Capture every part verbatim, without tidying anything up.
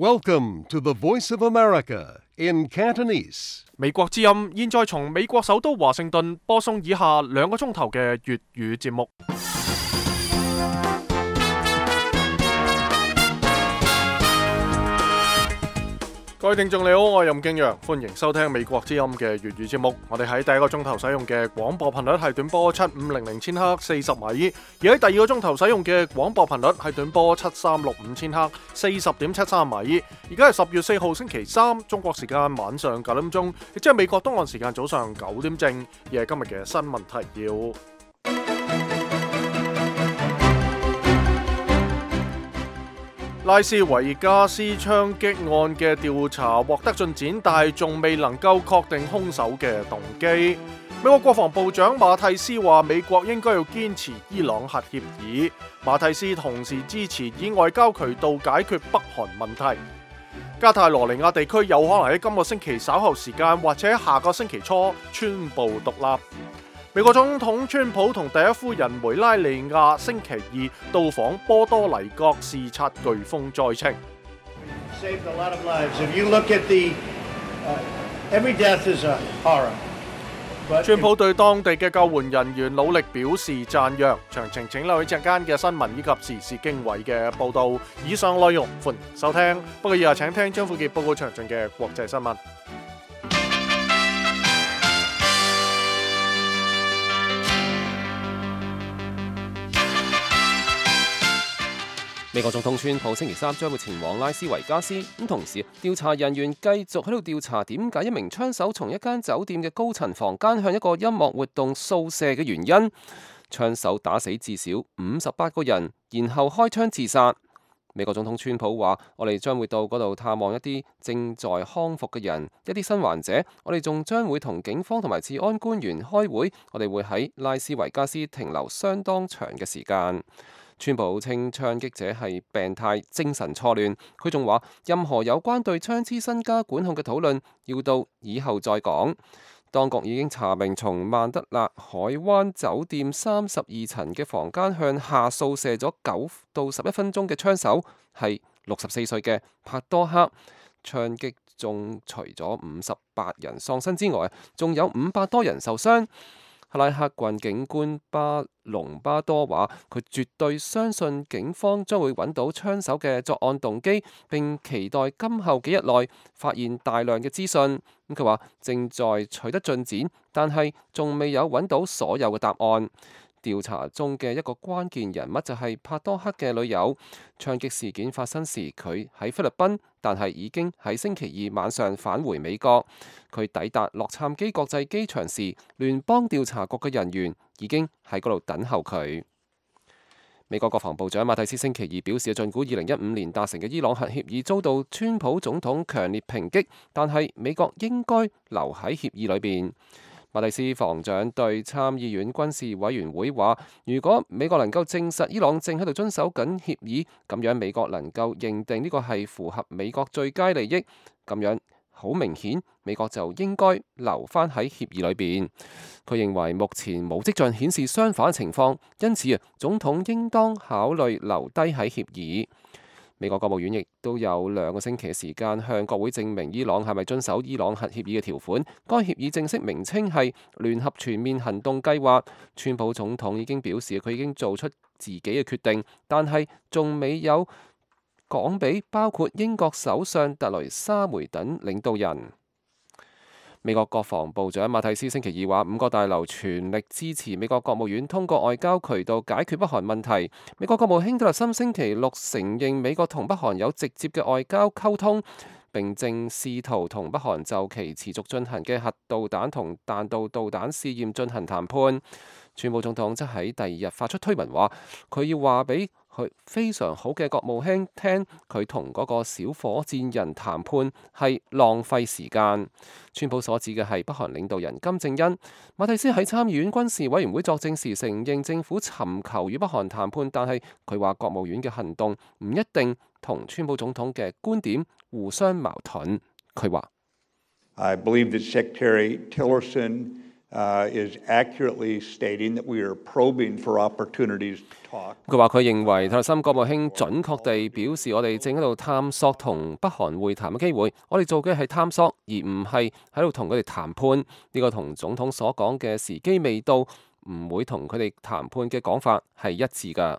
Welcome to the Voice of America in Cantonese. 美國之音現在從美國首都華盛頓播送以下兩個鐘頭嘅粵語節目。各位聽眾你好，我係任敬陽，歡迎收聽美國之音嘅粵語節目。我哋喺第一個鐘頭使用嘅廣播頻率係短波七五零零千赫四十米，而喺第二個鐘頭使用嘅廣播頻率係短波七三六五千赫四十點七三米。而家係十月四號星期三，中國時間晚上九點鐘，亦即係美國東岸時間早上九點正，而係今日嘅新聞提要。拉斯維加斯槍擊案嘅調查獲得進展，但係仲未能夠確定兇手嘅動機。美國國防部長馬蒂斯話，美國應該要堅持伊朗核協議。馬蒂斯同時支持以外交渠道解決北韓問題。加泰羅尼亞地區有可能喺今個星期稍後時間或者下個星期初宣布獨立。美國總統川普同第一夫人梅拉尼亞星期二到訪波多黎各視察颶風災情。川普對當地嘅救援人員努力表示讚揚。詳情請留意陣間嘅新聞以及時事經緯嘅報導。以上內容歡迎收聽，不過以下請聽張富傑報告詳盡嘅國際新聞。美國總統川普星期三將會前往拉斯維加斯，咁同時調查人員繼續喺度調查點解一名槍手從一間酒店嘅高層房間向一個音樂活動掃射嘅原因。槍手打死至少五十八個人，然後開槍自殺。美國總統川普話：我哋將會到嗰度探望一啲正在康復嘅人，一啲新患者。我哋仲將會同警方同埋治安官員開會。我哋會喺拉斯維加斯停留相當長嘅時間。川普稱槍擊者係病態、精神錯亂。佢仲話，任何有關對槍支身家管控嘅討論要到以後再講。當局已經查明從曼德勒海灣酒店三十二層嘅房間向下掃射咗九到十一分鐘嘅槍手係六十四歲嘅帕多克。槍擊中除咗五十八人喪生之外，仲有五百多人受傷。克拉克郡警官巴隆巴多話：佢絕對相信警方將會揾到槍手嘅作案動機，並期待今後幾日內發現大量嘅資訊。咁佢話正在取得進展，但係仲未有揾到所有嘅答案。調查中嘅一個關鍵人物就係帕多克嘅女友。槍擊事件發生時，佢喺菲律賓，但係已經喺星期二晚上返回美國。佢抵達洛杉磯國際機場時，聯邦調查局嘅人員已經喺嗰度等候佢。美國國防部長馬蒂斯星期二表示，儘管二零一五年達成嘅伊朗核協議遭到川普總統強烈抨擊，但係美國應該留喺協議裏邊。馬蒂斯防長對參議院軍事委員會話：如果美國能夠證實伊朗正喺度遵守緊協議，咁樣美國能夠認定呢個係符合美國最佳利益，咁樣好明顯美國就應該留返喺協議裏邊。佢認為目前冇跡象顯示相反情況，因此啊，總統應當考慮留低喺協議。美國國務院亦都有兩個星期嘅時間向國會證明伊朗係咪遵守伊朗核協議嘅條款。該協議正式名稱係聯合全面行動計劃。川普總統已經表示佢已經做出自己嘅決定，但係仲未有講俾包括英國首相特雷莎梅等領導人。美國國防部長馬蒂斯星期二話，五角大樓全力支持美國國務院通過外交渠道解決北韓問題。美國國務卿蒂勒森星期六承認美國同北韓有直接嘅外交溝通，並正試圖同北韓就其持續進行嘅核導彈同彈道導彈試驗進行談判。川普總統則喺第二日發出推文話，佢要話俾佢非常好嘅國務卿聽，佢同嗰個小火箭人談判係浪費時間。川普所指嘅係北韓領導人金正恩。馬蒂斯喺參議院軍事委員會作證時承認政府尋求與北韓談判，但係佢話國務院嘅行動唔一定同川普總統嘅觀點互相矛盾。佢話：I believe that Secretary Tillerson Uh, is accurately stating that we are probing for opportunities to talk. 佢話佢認為塔利森國務卿準確地表示，我哋正喺度探索同北韓會談嘅機會。我哋做嘅係探索，而唔係喺度同佢哋談判。呢個同總統所講嘅時機未到，唔會同佢哋談判嘅講法係一致㗎。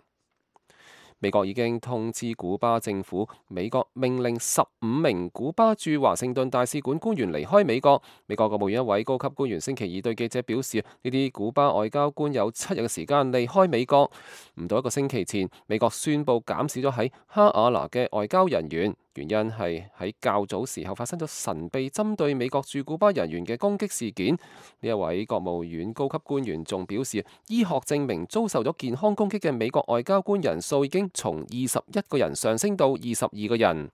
美國已經通知古巴政府，美國命令十五名古巴駐華盛頓大使館官員離開美國。美國國務院一位高級官員星期二對記者表示，呢啲古巴外交官有七日嘅時間離開美國。唔到一個星期前，美國宣布減少咗喺哈瓦那嘅外交人員，原因係喺較早時候發生咗神秘針對美國駐古巴人員嘅攻擊事件。呢一位國務院高級官員仲表示，醫學證明遭受咗健康攻擊嘅美國外交官人數已經從二十一個人上升到二十二個人。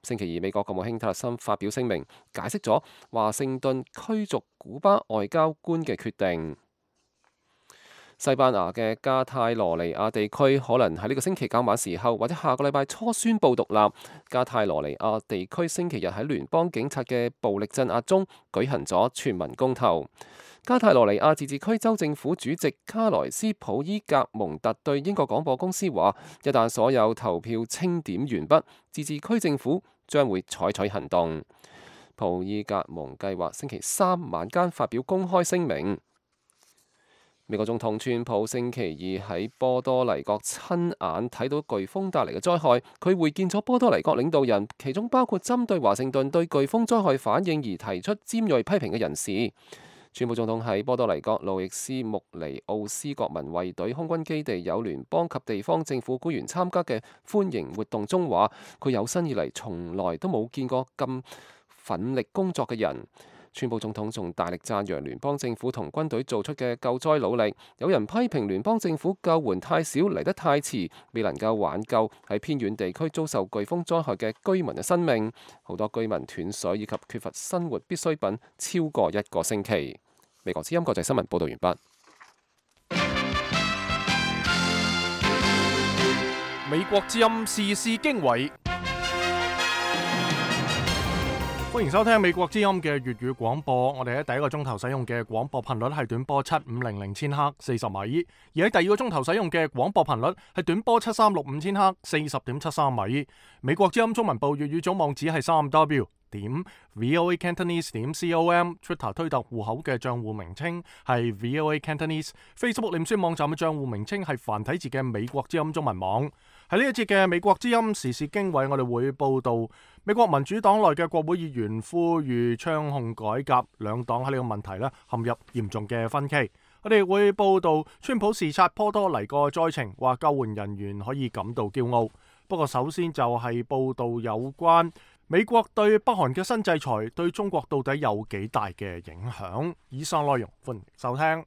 星期二，美國國務卿塔利森發表聲明，解釋咗華盛頓驅逐古巴外交官嘅決定。西班牙嘅加泰羅尼亞地區可能喺呢個星期較晚時候或者下個禮拜初宣布獨立。加泰羅尼亞地區星期日喺聯邦警察嘅暴力鎮壓中舉行咗全民公投。加泰羅尼亞自治區州政府主席卡萊斯普伊格蒙特對英國廣播公司話，一旦所有投票清點完畢，自治區政府將會採取行動。普伊格蒙計劃星期三晚間發表公開聲明。美國總統川普星期二喺波多黎各親眼睇到颶風帶嚟嘅災害，佢會見咗波多黎各領導人，其中包括針對華盛頓對颶風災害反應而提出尖銳批評嘅人士。川普總統喺波多黎各路易斯穆尼奧斯國民衛隊空軍基地有聯邦及地方政府官員參加嘅歡迎活動中話，佢有生以嚟從來都冇見過咁奮力工作嘅人。川普總統仲大力讚揚聯邦政府同軍隊做出嘅救災努力。有人批評聯邦政府救援太少，嚟得太遲，未能夠挽救喺偏遠地區遭受颶風災害嘅居民嘅生命。好多居民斷水以及缺乏生活必需品超過一個星期。美國之音國際新聞報道完畢。美國之音時事經緯。歡迎收聽美國之音嘅粵語廣播。我哋喺第一個鐘頭使用嘅廣播頻率係短波七五零零千赫四十米，而喺第二個鐘頭使用嘅廣播頻率係短波七三六五千赫四十點七三米。美國之音中文部粵語總網址係三 W 點 VOA Cantonese 點 com，Twitter 推特戶口嘅賬戶名稱係 VOA Cantonese，Facebook 臉書網站嘅賬戶名稱係繁體字嘅美國之音中文網。喺呢一節嘅美國之音時事經緯，我哋會報道美國民主黨內嘅國會議員呼籲槍控改革，兩黨喺呢個問題咧陷入嚴重嘅分歧。我哋會報道川普視察波多黎各災情，話救援人員可以感到驕傲。不過首先就係報道有關美國對北韓嘅新制裁對中國到底有幾大嘅影響。以上內容歡迎收聽。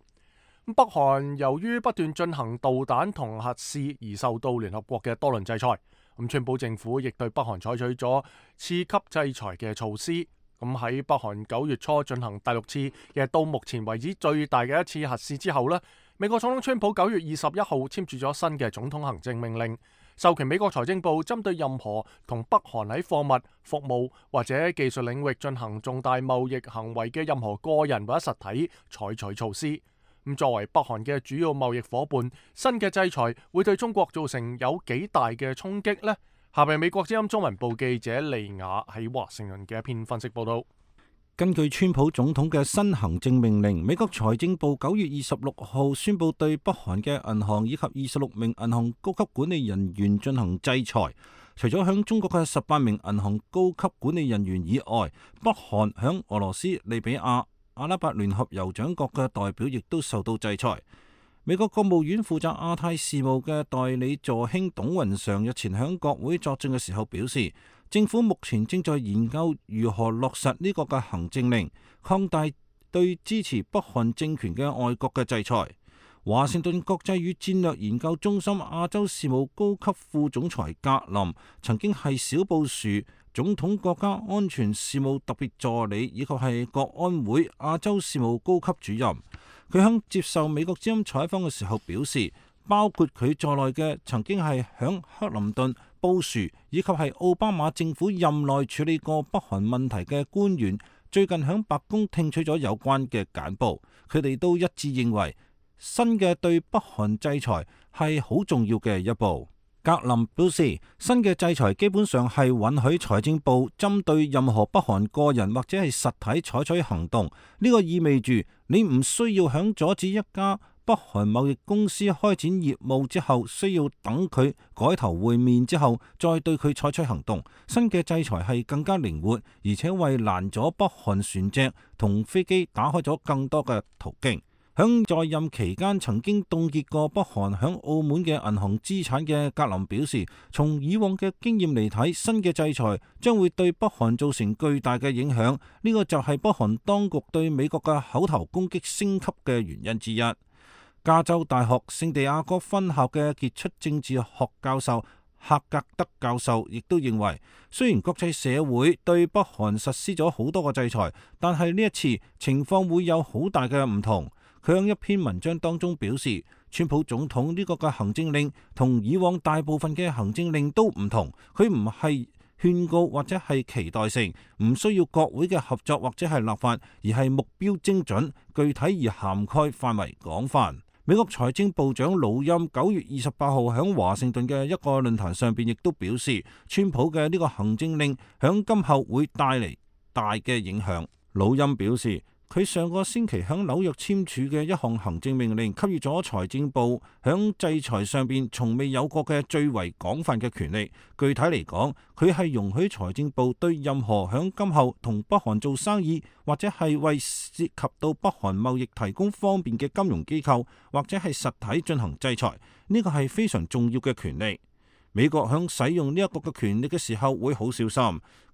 北韓由於不斷進行導彈同核試而受到聯合國嘅多輪制裁。咁川普政府亦對北韓採取咗次級制裁嘅措施。咁喺北韓九月初進行第六次，亦係到目前為止最大嘅一次核試之後呢，美國總統川普九月二十一號簽署咗新嘅總統行政命令，授權美國財政部針對任何同北韓喺貨物、服務或者技術領域進行重大貿易行為嘅任何個人或者實體採取措施。咁作為北韓嘅主要貿易夥伴，新嘅制裁會對中國造成有幾大嘅衝擊呢？下邊美國之音中文部記者利雅喺華盛頓嘅一篇分析報道。根據川普總統嘅新行政命令，美國財政部九月二十六號宣布對北韓嘅銀行以及二十六名銀行高級管理人員進行制裁。除咗向中國嘅十八名銀行高級管理人員以外，北韓向俄羅斯、利比亞、阿拉伯聯合酋長國嘅代表亦都受到制裁。美國國務院負責亞太事務嘅代理助卿董雲常日前向國會作證嘅時候表示，政府目前正在研究如何落實呢個嘅行政令，擴大對支持北韓政權嘅外國嘅制裁。華盛頓國際與戰略研究中心亞洲事務高級副總裁格林曾經係小布殊總統國家安全事務特別助理，以及係國安會亞洲事務高級主任。佢響接受美國之音採訪嘅時候表示，包括佢在內嘅曾經係響克林頓、布殊以及係奧巴馬政府任內處理過北韓問題嘅官員，最近響白宮聽取咗有關嘅簡報，佢哋都一致認為新嘅對北韓制裁係好重要嘅一步。格林表示，新嘅制裁基本上係允許財政部針對任何北韓個人或者係實體採取行動。呢個意味住你唔需要響阻止一家北韓貿易公司開展業務之後，需要等佢改頭換面之後再對佢採取行動。新嘅制裁係更加靈活，而且為攔阻北韓船隻同飛機打開咗更多嘅途徑。響在任期間曾經凍結過北韓響澳門嘅銀行資產嘅格林表示，從以往嘅經驗嚟睇，新嘅制裁將會對北韓造成巨大嘅影響。呢個就係北韓當局對美國嘅口頭攻擊升級嘅原因之一。加州大學聖地亞哥分校嘅傑出政治學教授赫格德教授亦都認為，雖然國際社會對北韓實施咗好多個制裁，但係呢一次情況會有好大嘅唔同。佢喺一篇文章當中表示，川普總統呢個嘅行政令同以往大部分嘅行政令都唔同，佢唔係勸告或者係期待性，唔需要國會嘅合作或者係立法，而係目標精準、具體而涵蓋範圍廣泛。美國財政部長魯欽九月二十八號喺華盛頓嘅一個論壇上邊亦都表示，川普嘅呢個行政令響今後會帶嚟大嘅影響。魯欽表示，佢上個星期喺紐約簽署嘅一項行政命令，給予咗財政部喺制裁上邊從未有過嘅最為廣泛嘅權力。具體嚟講，佢係容許財政部對任何喺今後同北韓做生意，或者係為涉及到北韓貿易提供方便嘅金融機構或者係實體進行制裁。呢個係非常重要嘅權力。美國喺使用呢一個嘅權力嘅時候會好小心。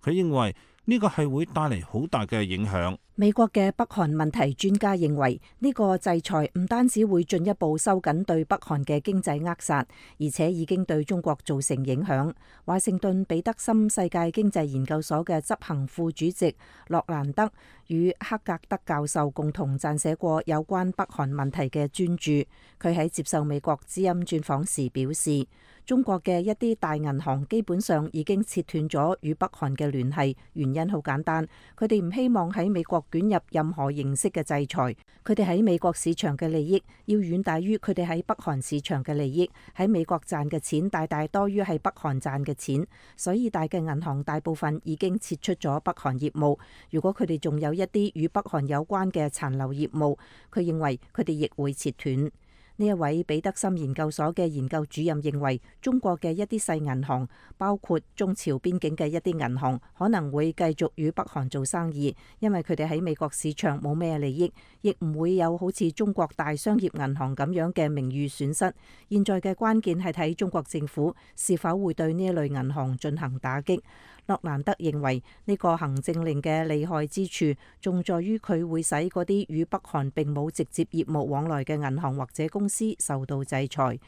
佢認為呢個係會帶嚟好大嘅影響。美國嘅北韓問題專家認為，呢個制裁唔單止會進一步收緊對北韓嘅經濟扼殺，而且已經對中國造成影響。華盛頓彼得森世界經濟研究所嘅執行副主席洛蘭德與克格德教授共同撰寫過有關北韓問題嘅專著。佢喺接受美國之音專訪時表示，中國嘅一啲大銀行基本上已經切斷咗與北韓嘅聯繫，原因好簡單，佢哋唔希望喺美國捲入任何形式嘅制裁。佢哋喺美國市場嘅利益要遠大於佢哋喺北韓市場嘅利益，喺美國賺嘅錢大大多於喺北韓賺嘅錢，所以大嘅銀行大部分已經撤出咗北韓業務。如果佢哋仲有一啲與北韓有關嘅殘留業務，佢認為佢哋亦會切斷。呢一位彼得森研究所嘅研究主任認為，中國嘅一啲細銀行，包括中朝邊境嘅一啲銀行，可能會繼續與北韓做生意，因為佢哋喺美國市場冇咩利益，亦唔會有好似中國大商業銀行咁樣嘅名譽損失。現在嘅關鍵係睇中國政府是否會對呢一類銀行進行打擊。洛蘭德認為呢個行政令嘅厲害之處，仲在於佢會使嗰啲與北韓並冇直接業務往來嘅銀行或者公司受到制裁。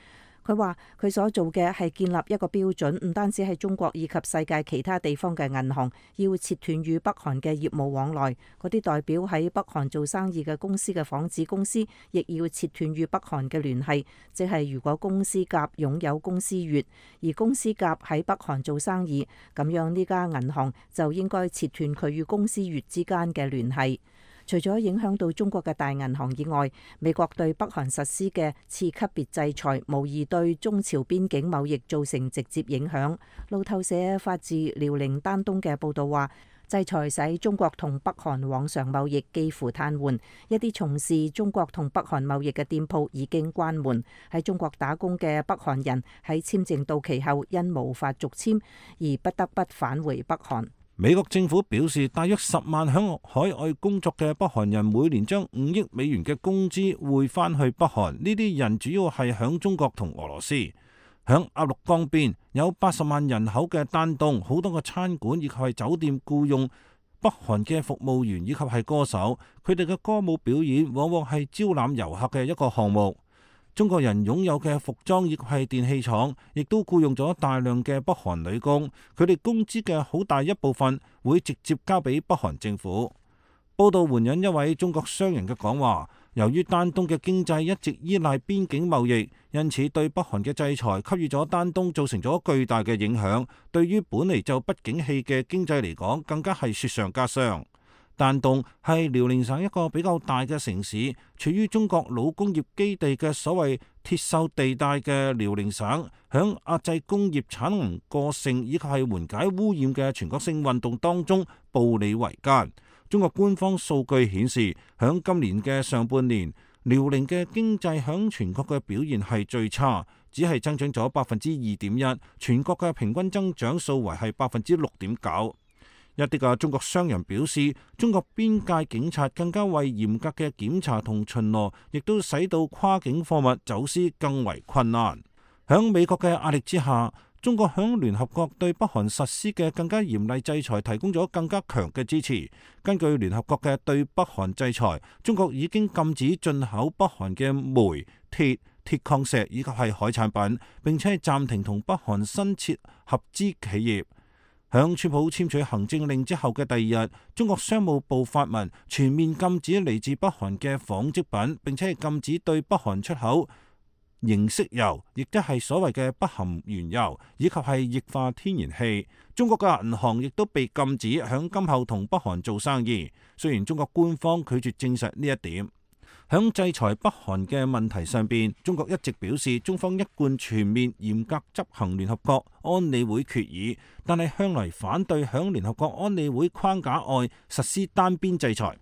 佢話佢所做嘅係建立一個標準，唔單止係中國以及世界其他地方嘅銀行要切斷與北韓嘅業務往來，嗰啲代表喺北韓做生意嘅公司嘅仿子公司亦要切斷與北韓嘅聯繫。即係如果公司甲擁有公司乙，而公司甲喺北韓做生意，咁樣呢家銀行就應該切斷佢與公司乙之間嘅聯繫。除咗影響到中國嘅大銀行以外，美國對北韓實施嘅次級別制裁，無疑對中朝邊境貿易造成直接影響。路透社發自遼寧丹東嘅報導話，制裁使中國同北韓往常貿易幾乎癱瘓，一啲從事中國同北韓貿易嘅店鋪已經關門。喺中國打工嘅北韓人喺簽證到期後，因無法續簽而不得不返回北韓。美國政府表示，大約十萬響海外工作嘅北韓人每年將五億美元嘅工資匯返去北韓。呢啲人主要係響中國同俄羅斯。響鴨綠江邊有八十萬人口嘅丹東，好多個餐館以及係酒店僱用北韓嘅服務員以及係歌手，佢哋嘅歌舞表演往往係招攬遊客嘅一個項目。中國人擁有嘅服裝亦係電器廠，亦都僱用咗大量嘅北韓女工，佢哋工資嘅好大一部分會直接交俾北韓政府。報道援引一位中國商人嘅講話，由於丹東嘅經濟一直依賴邊境貿易，因此對北韓嘅制裁給予咗丹東造成咗巨大嘅影響，對於本嚟就不景氣嘅經濟嚟講，更加係雪上加霜。丹東係遼寧省一個比較大嘅城市，處於中國老工業基地嘅所謂鐵鏽地帶嘅遼寧省，響壓制工業產能過剩以及係緩解污染嘅全國性運動當中步履維艱。中國官方數據顯示，響今年嘅上半年，遼寧嘅經濟響全國嘅表現係最差，只係增長咗百分之二點一，全國嘅平均增長數為係百分之六點九。一啲嘅中國商人表示，中國邊界警察更加為嚴格嘅檢查同巡邏，亦都使到跨境貨物走私更為困難。響美國嘅壓力之下，中國響聯合國對北韓實施嘅更加嚴厲制裁提供咗更加強嘅支持。根據聯合國嘅對北韓制裁，中國已經禁止進口北韓嘅煤、鐵、鐵礦石以及係海產品，並且係暫停同北韓新設合資企業。響川普簽署行政令之後嘅第二日，中國商務部發文全面禁止嚟自北韓嘅紡織品，並且係禁止對北韓出口凝色油，亦都係所謂嘅不含原油，以及係液化天然氣。中國嘅銀行亦都被禁止響今後同北韓做生意。雖然中國官方拒絕證實呢一點。響制裁北韓嘅問題上邊，中國一直表示中方一貫全面嚴格執行聯合國安理會決議，但係向來反對響聯合國安理會框架外實施單邊制裁。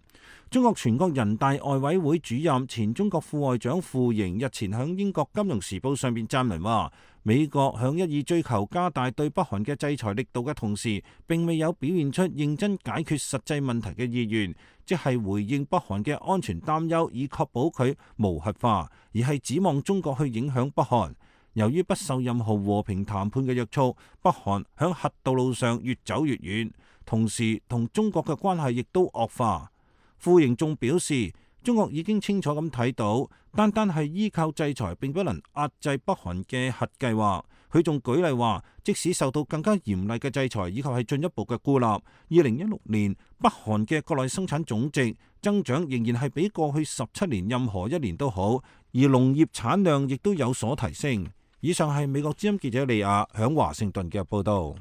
中國全國人大外委會主任、前中國副外長傅瑩日前響英國金融時報上邊撰文話，美國響一意追求加大對北韓嘅制裁力度嘅同時，並未有表現出認真解決實際問題嘅意願，即係回應北韓嘅安全擔憂，以確保佢無核化，而係指望中國去影響北韓。由於不受任何和平談判嘅約束，北韓響核道路上越走越遠，同時同中國嘅關係亦都惡化。傅瑩仲表示，中國已經清楚咁睇到，單單係依靠制裁並不能壓制北韓嘅核計劃。佢仲舉例話，即使受到更加嚴厲嘅制裁以及係進一步嘅孤立，二零一六年北韓嘅國內生產總值增長仍然係比過去十七年任何一年都好，而農業產量亦都有所提升。以上係美國之音記者利亞響華盛頓嘅報導。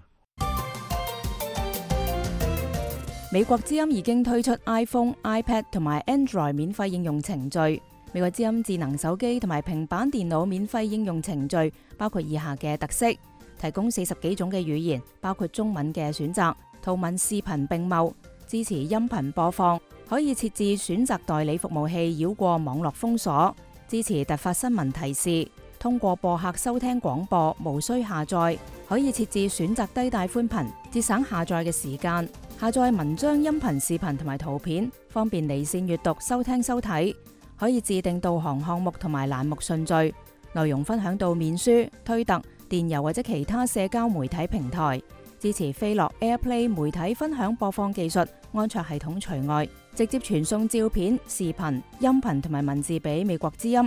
美國之音已經推出 iPhone、iPad 同埋 Android 免費應用程序。美國之音智能手機同埋平板電腦免費應用程序包括以下嘅特色：提供四十幾種嘅語言，包括中文嘅選擇，圖文視頻並茂，支持音頻播放，可以設置選擇代理服務器繞過網絡封鎖，支持突發新聞提示，通過播客收聽廣播，無需下載，可以設置選擇低帶寬頻，節省下載嘅時間。下載文章、音頻、視頻同埋圖片，方便離線閱讀、收聽、收睇。可以自定導航項目同埋欄目順序，內容分享到面書、推特、電郵或者其他社交媒體平台。支持飛樂 AirPlay 媒體分享播放技術，安卓系統除外。直接傳送照片、視頻、音頻同埋文字俾美國之音。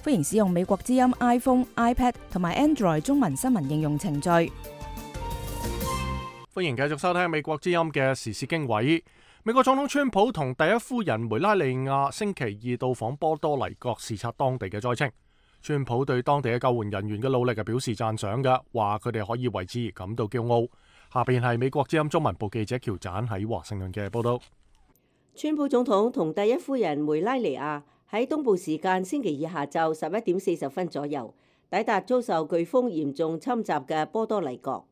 歡迎使用美國之音 iPhone、iPad 同埋 Android 中文新聞應用程序。歡迎繼續收聽美國之音嘅時事經緯。美國總統川普同第一夫人梅拉尼亞星期二到訪波多黎各視察當地嘅災情。川普對當地嘅救援人員嘅努力係表示讚賞嘅，話佢哋可以為之而感到驕傲。下邊係美國之音中文部記者喬盞喺華盛頓嘅報道。川普總統同第一夫人梅拉尼亞喺東部時間星期二下晝十一點四十分左右抵達遭受颶風嚴重侵襲嘅波多黎各。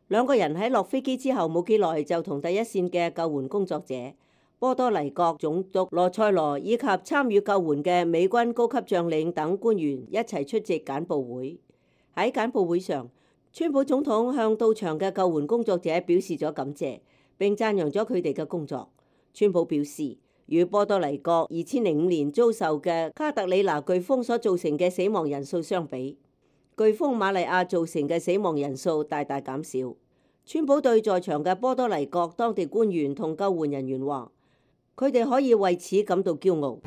兩個人喺落飛機之後冇幾耐就同第一線嘅救援工作者、波多黎各總督羅塞羅以及參與救援嘅美軍高級將領等官員一齊出席簡報會。喺簡報會上，川普總統向到場嘅救援工作者表示咗感謝，並讚揚咗佢哋嘅工作。川普表示，與波多黎各二千零五年遭受嘅卡特里娜颶風所造成嘅死亡人數相比，颶風瑪利亞造成嘅死亡人數大大減少。川普對在場嘅波多黎各當地官員同救援人員話，佢哋可以為此感到驕傲。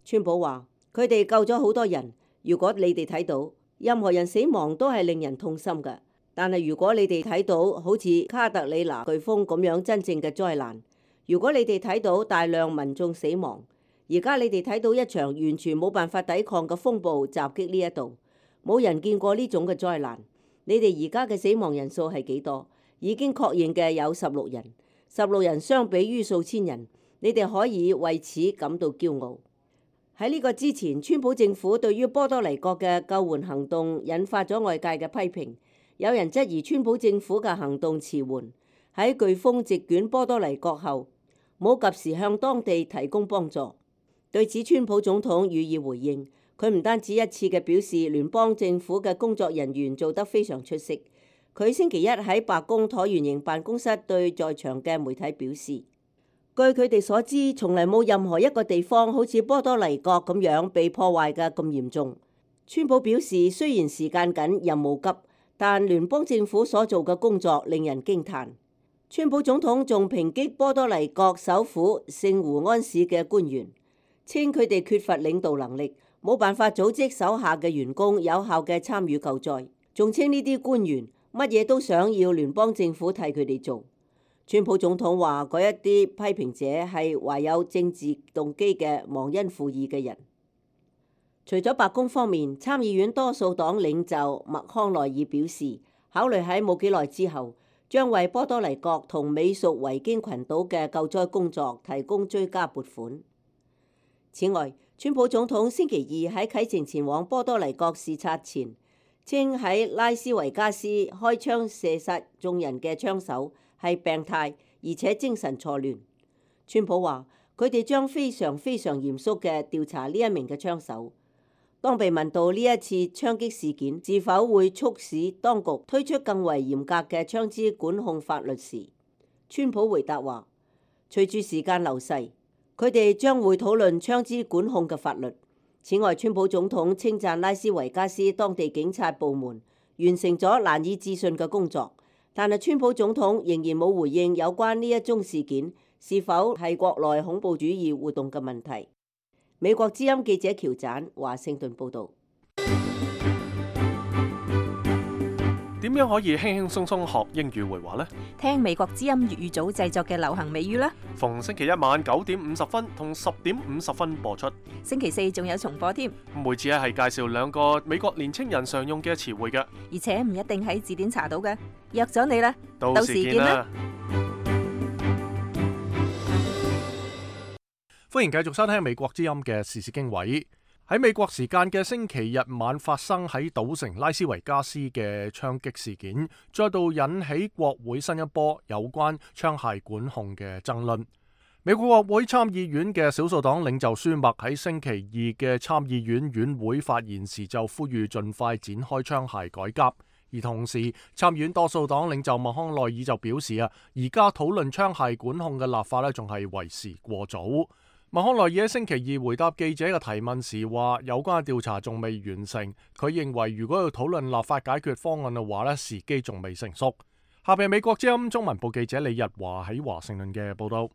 川普話，佢哋救咗好多人。如果你哋睇到任何人死亡都係令人痛心嘅，但係如果你哋睇到好似卡特里娜颶風咁樣真正嘅災難，如果你哋睇到大量民眾死亡，而家你哋睇到一場完全冇辦法抵抗嘅風暴襲擊呢一度，冇人見過呢種嘅災難。你哋而家嘅死亡人數係幾多？已經確認嘅有十六人，十六人相比於數千人，你哋可以為此感到驕傲。喺呢個之前，川普政府對於波多黎各嘅救援行動引發咗外界嘅批評，有人質疑川普政府嘅行動遲緩，喺颶風席捲波多黎各後冇及時向當地提供幫助。對此，川普總統予以回應，佢唔單止一次嘅表示聯邦政府嘅工作人員做得非常出色。佢星期一喺白宮橢圓形辦公室對在場嘅媒體表示，據佢哋所知，從嚟冇任何一個地方好似波多黎各咁樣被破壞嘅咁嚴重。川普表示，雖然時間緊、任務急，但聯邦政府所做嘅工作令人驚歎。川普總統仲抨擊波多黎各首府聖胡安市嘅官員，稱佢哋缺乏領導能力，冇辦法組織手下嘅員工有效嘅參與救災，仲稱呢啲官員乜嘢都想要聯邦政府替佢哋做。川普總統話嗰一啲批評者係懷有政治動機嘅忘恩負義嘅人。除咗白宮方面，參議院多數黨領袖麥康奈爾表示，考慮喺冇幾耐之後將為波多黎各同美屬維京群島嘅救災工作提供追加撥款。此外，川普總統星期二喺啟程前往波多黎各視察前，稱喺拉斯維加斯開槍射殺眾人嘅槍手係病態，而且精神錯亂。川普話佢哋將非常非常嚴肅嘅調查呢一名嘅槍手。當被問到呢一次槍擊事件是否會促使當局推出更為嚴格嘅槍支管控法律時，川普回答話，隨住時間流逝，佢哋將會討論槍支管控嘅法律。此外，川普總統稱讚拉斯維加斯當地警察部門完成咗難以置信嘅工作。但係川普總統仍然冇回應有關呢一宗事件是否係國內恐怖主義活動嘅問題。美國之音記者喬盞華盛頓報導。點樣可以輕輕鬆鬆學英語會話呢？聽美國之音粵語組製作嘅流行美語啦。逢星期一晚九點五十分同十點五十分播出。星期四仲有重播添。每次係介紹兩個美國年青人常用嘅詞彙嘅，而且唔一定喺字典查到嘅。約咗你啦，到時見啦。歡迎繼續收聽美國之音嘅時事經緯。喺美國時間嘅星期日晚發生喺賭城拉斯維加斯嘅槍擊事件，再度引起國會新一波有關槍械管控嘅爭論。美國國會參議院嘅少數黨領袖舒默喺星期二嘅參議院院會發言時就呼籲盡快展開槍械改革，而同時參議院多數黨領袖麥康奈爾就表示啊，而家討論槍械管控嘅立法咧，仲係為時過早。麥康奈爾喺星期二回答記者嘅提問時話，有關嘅調查仲未完成，佢認為如果要討論立法解決方案嘅話咧，時機仲未成熟。下邊美國之音中文部記者李日華喺華盛頓嘅報道。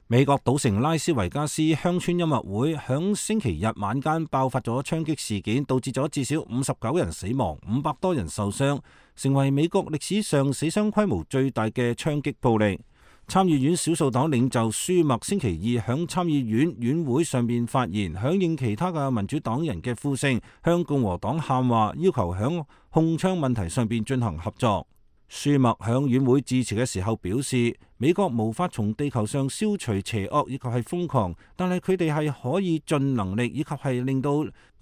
美國賭城拉斯維加斯鄉村音樂會響星期日晚間爆發咗槍擊事件，導致咗至少五十九人死亡，五百多人受傷，成為美國歷史上死傷規模最大嘅槍擊暴力。參議院少數黨領袖舒默星期二響參議院院會上面發言，響應其他嘅民主黨人嘅呼聲，向共和黨喊話，要求響控槍問題上邊進行合作。舒默響院會致辭嘅時候表示，美國無法從地球上消除邪惡以及係瘋狂，但係佢哋係可以盡能力以及係令到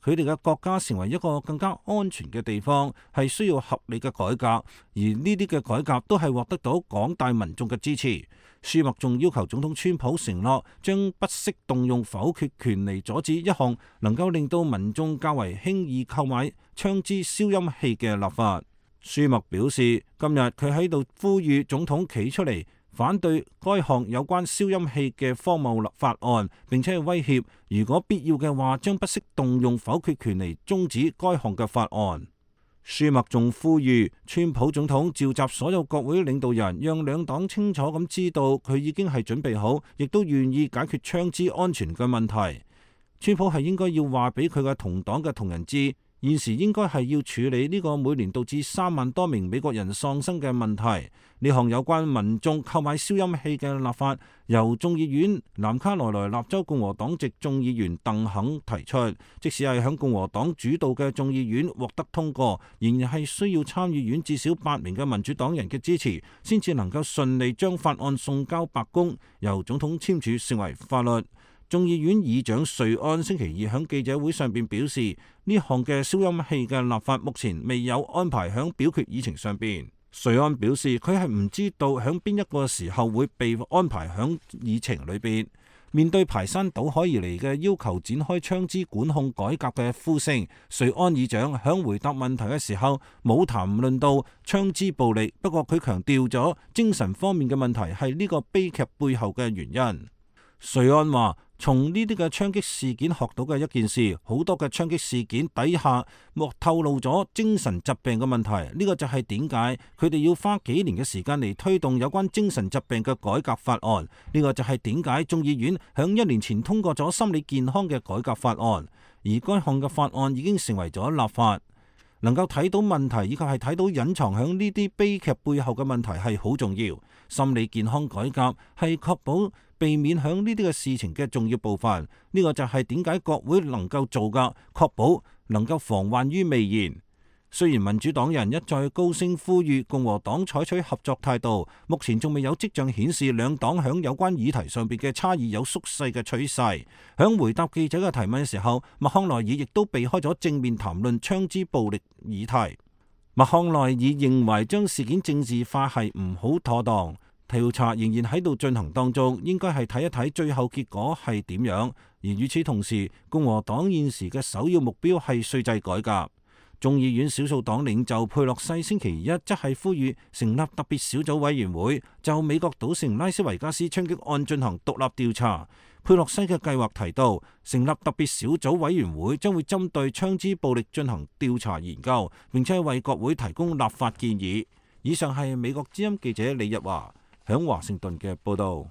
佢哋嘅國家成為一個更加安全嘅地方，係需要合理嘅改革，而呢啲嘅改革都係獲得到廣大民眾嘅支持。舒默仲要求總統川普承諾將不惜動用否決權嚟阻止一項能夠令到民眾較為輕易購買槍支消音器嘅立法。舒默表示，今日佢喺度呼籲總統企出嚟反對該項有關消音器嘅荒謬立法案，並且係威脅如果必要嘅話，將不惜動用否決權嚟終止該項嘅法案。舒默仲呼籲川普總統召集所有國會領導人，讓兩黨清楚咁知道佢已經係準備好，亦都願意解決槍支安全嘅問題。川普係應該要話俾佢嘅同黨嘅同仁知，現時應該係要處理呢個每年導致三萬多名美國人喪生嘅問題。呢項有關民眾購買消音器嘅立法，由眾議院南卡羅來納州共和黨籍眾議員鄧肯提出。即使係響共和黨主導嘅眾議院獲得通過，仍然係需要參議院至少八名嘅民主黨人嘅支持，先至能夠順利將法案送交白宮，由總統簽署成為法律。眾議院議長瑞安星期二喺記者會上邊表示，呢項嘅消音器嘅立法目前未有安排響表決議程上邊。瑞安表示，佢係唔知道響邊一個時候會被安排響議程裏邊。面對排山倒海而嚟嘅要求展開槍支管控改革嘅呼聲，瑞安議長響回答問題嘅時候冇談論到槍支暴力，不過佢強調咗精神方面嘅問題係呢個悲劇背後嘅原因。瑞安話，從呢啲嘅槍擊事件學到嘅一件事，好多嘅槍擊事件底下莫透露咗精神疾病嘅問題。呢個就係點解佢哋要花幾年嘅時間嚟推動有關精神疾病嘅改革法案。呢個就係點解眾議院響一年前通過咗心理健康嘅改革法案，而該項嘅法案已經成為咗立法。能夠睇到問題以及係睇到隱藏響呢啲悲劇背後嘅問題係好重要。心理健康改革係確保避免響呢啲嘅事情嘅重要部分。呢個就係點解國會能夠做㗎，確保能夠防患於未然。雖然民主黨人一再高聲呼籲共和黨採取合作態度，目前仲未有跡象顯示兩黨響有關議題上邊嘅差異有縮細嘅趨勢。響回答記者嘅提問嘅時候，麥康奈爾亦都避開咗正面談論槍支暴力議題。麥康奈爾認為將事件政治化係唔好妥當，調查仍然喺度進行當中，應該係睇一睇最後結果係點樣。而與此同時，共和黨現時嘅首要目標係稅制改革。眾議院少數黨領袖佩洛西星期一則係呼籲成立特別小組委員會，就美國賭城拉斯維加斯槍擊案進行獨立調查。佩洛西嘅計劃提到，成立特別小組委員會將會針對槍支暴力進行調查研究，並且為國會提供立法建議。以上係美國之音記者李日華響華盛頓嘅報道。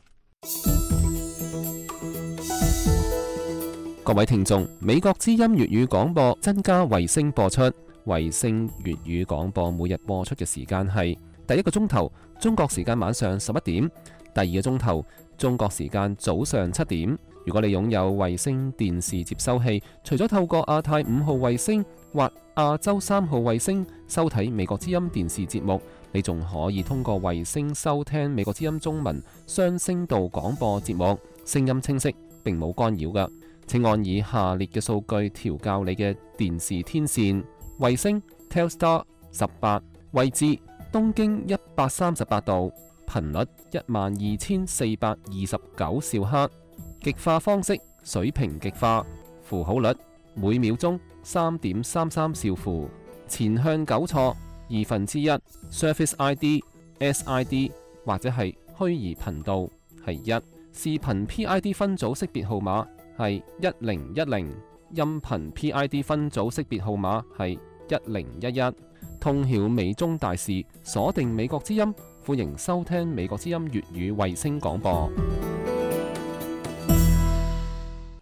各位聽眾，美國之音粵語廣播增加衛星播出。衛星粵語廣播每日播出嘅時間係第一個鐘頭中國時間晚上十一點，第二個鐘頭中國時間早上七點。如果你擁有衛星電視接收器，除咗透過亞太五號衛星或亞洲三號衛星收睇美國之音電視節目，你仲可以通過衛星收聽美國之音中文雙聲道廣播節目，聲音清晰，並冇干擾㗎。請按以下列嘅數據調校你嘅電視天線：衛星 Telstar 十八，位置東經一百三十八度，頻率一萬二千四百二十九兆赫，極化方式水平極化，符號率每秒鐘三點三三兆符，前向糾錯二分之一 ，Surface I D、S I D 或者係虛擬頻道係一，視頻 P I D 分組識別號碼係一零一零，音頻 P I D 分組識別號碼係一零一一。通曉美中大事，鎖定美國之音，歡迎收聽美國之音粵語衛星廣播。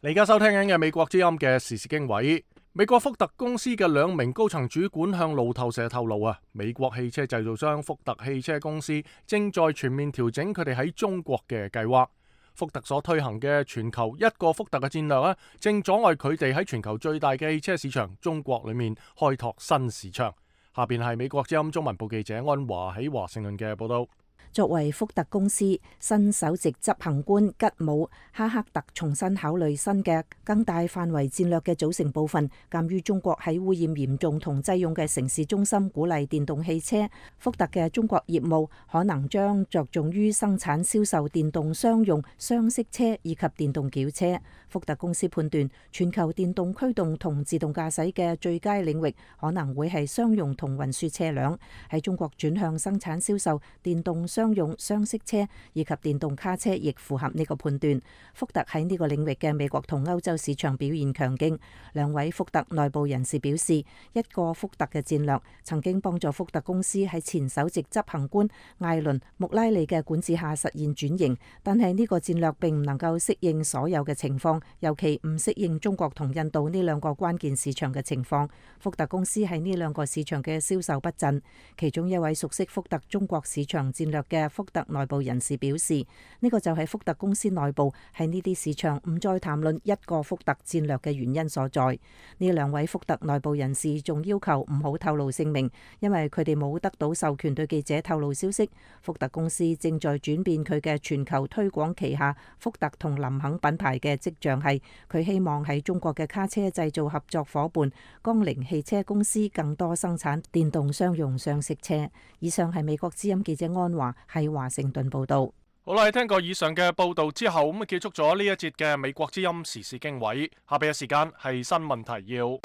你而家收聽緊嘅美國之音嘅時事經緯。美國福特公司嘅兩名高層主管向路透社透露啊，美國汽車製造商福特汽車公司正在全面調整佢哋喺中國嘅計劃。福特所推行嘅全球一個福特嘅戰略咧，正阻礙佢哋喺全球最大嘅汽車市場中國裏面開拓新市場。下邊係美國之音中文部記者安華喺華盛頓嘅報道。作為福特公司新首席執行官吉姆哈克特重新考慮新嘅更大範圍戰略嘅組成部分。鑑於中國喺污染嚴重同擠擁嘅城市中心鼓勵電動汽車，福特嘅中國業務可能將着重於生產銷售電動商用雙色車以及電動轎車。福特公司判斷全球電動驅動同自動駕駛嘅最佳領域可能會係商用同運輸車輛。喺中國轉向生產銷售電動商用雙色車以及電動卡車亦符合呢個判斷。福特喺呢個領域嘅美國同歐洲市場表現強勁。兩位福特內部人士表示，一個福特嘅戰略曾經幫助福特公司喺前首席執行官艾倫穆拉利嘅管治下實現轉型，但係呢個戰略並唔能夠適應所有嘅情況，尤其唔適應中國同印度呢兩個關鍵市場嘅情況。福特公司喺呢兩個市場嘅銷售不振。其中一位熟悉福特中國市場戰略嘅福特內部人士表示，呢個就係福特公司內部喺呢啲市場唔再談論一個福特戰略嘅原因所在。呢兩位福特內部人士仲要求唔好透露姓名，因為佢哋冇得到授權對記者透露消息。福特公司正在轉變佢嘅全球推廣旗下福特同林肯品牌嘅跡象係，佢希望喺中國嘅卡車製造合作夥伴江鈴汽車公司更多生產電動商用雙色車。以上係美國之音記者安華喺華盛頓報道。好啦，聽過以上嘅報道之後，咁啊結束咗呢一節嘅美國之音時事經緯。下邊嘅時間係新聞提要。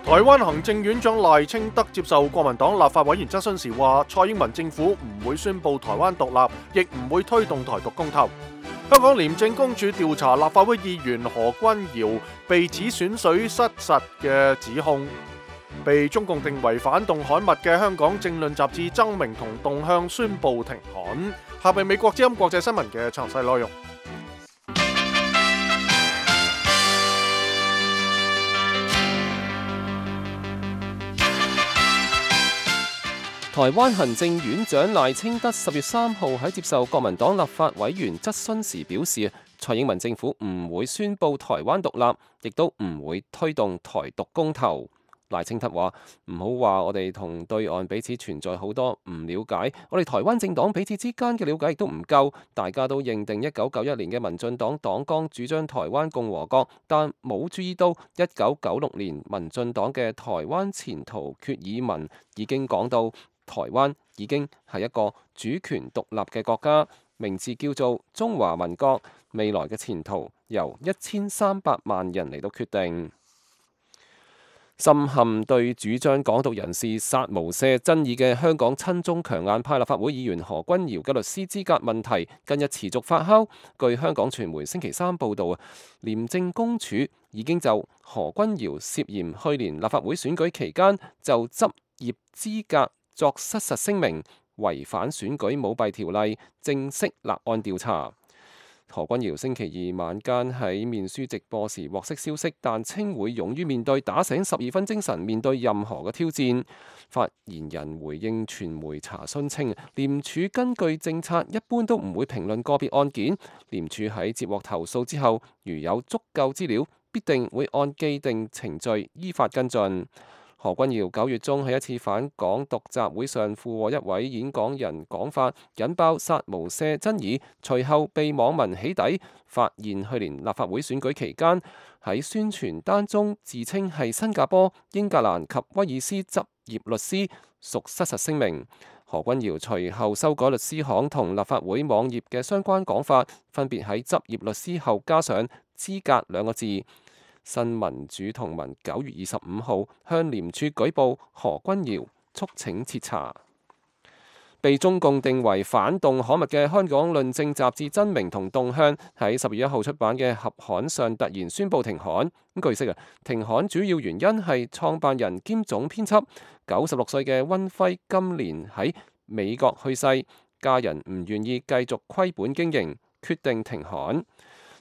台灣行政院長賴清德接受國民黨立法委員質詢時話，蔡英文政府唔會宣布台灣獨立，亦唔會推動台獨公投。香港廉政公署調查立法會議員何君堯被指選水失實嘅指控。被中共定為反動刊物嘅香港政論雜誌《爭鳴》同《動向》宣布停刊。下邊美國之音國際新聞嘅詳細內容。台灣行政院長賴清德十月三號喺接受國民黨立法委員質詢時表示，蔡英文政府唔會宣布台灣獨立，亦都唔會推動台獨公投。賴清德話：唔好話我哋同對岸彼此存在好多唔了解，我哋台灣政黨彼此之間嘅了解亦都唔夠。大家都認定一九九一年嘅民進黨黨綱主張台灣共和國，但冇注意到一九九六年民進黨嘅台灣前途決議文已經講到台灣已經係一個主權獨立嘅國家，名字叫做中華民國，未來嘅前途由一千三百萬人嚟到決定。深陷對主張港獨人士殺無赦爭議嘅香港親中強硬派立法會議員何君堯嘅律師資格問題近日持續發酵。據香港傳媒星期三報導啊，廉政公署已經就何君堯涉嫌去年立法會選舉期間就執業資格作失實聲明，違反選舉舞弊條例，正式立案調查。何君堯星期二晚間喺面書直播時獲悉消息，但稱會勇於面對，打醒十二分精神面對任何嘅挑戰。發言人回應傳媒查詢稱，廉署根據政策一般都唔會評論個別案件。廉署喺接獲投訴之後，如有足夠資料，必定會按既定程序依法跟進。何君堯九月中喺一次反港獨集會上附和一位演講人講法，引爆殺無赦爭議，隨後被網民起底，發現去年立法會選舉期間喺宣傳單中自稱係新加坡、英格蘭及威爾斯執業律師，屬失實聲明。何君堯隨後修改律師行同立法會網頁嘅相關講法，分別喺執業律師後加上資格兩個字。新民主同盟九月二十五號向廉署舉報何君堯，促請徹查。被中共定為反動刊物嘅香港論政雜誌《爭鳴》同《動向》喺十月一號出版嘅合刊上突然宣布停刊。據悉啊，停刊主要原因係創辦人兼總編輯九十六歲嘅溫輝今年喺美國去世，家人唔願意繼續虧本經營，決定停刊。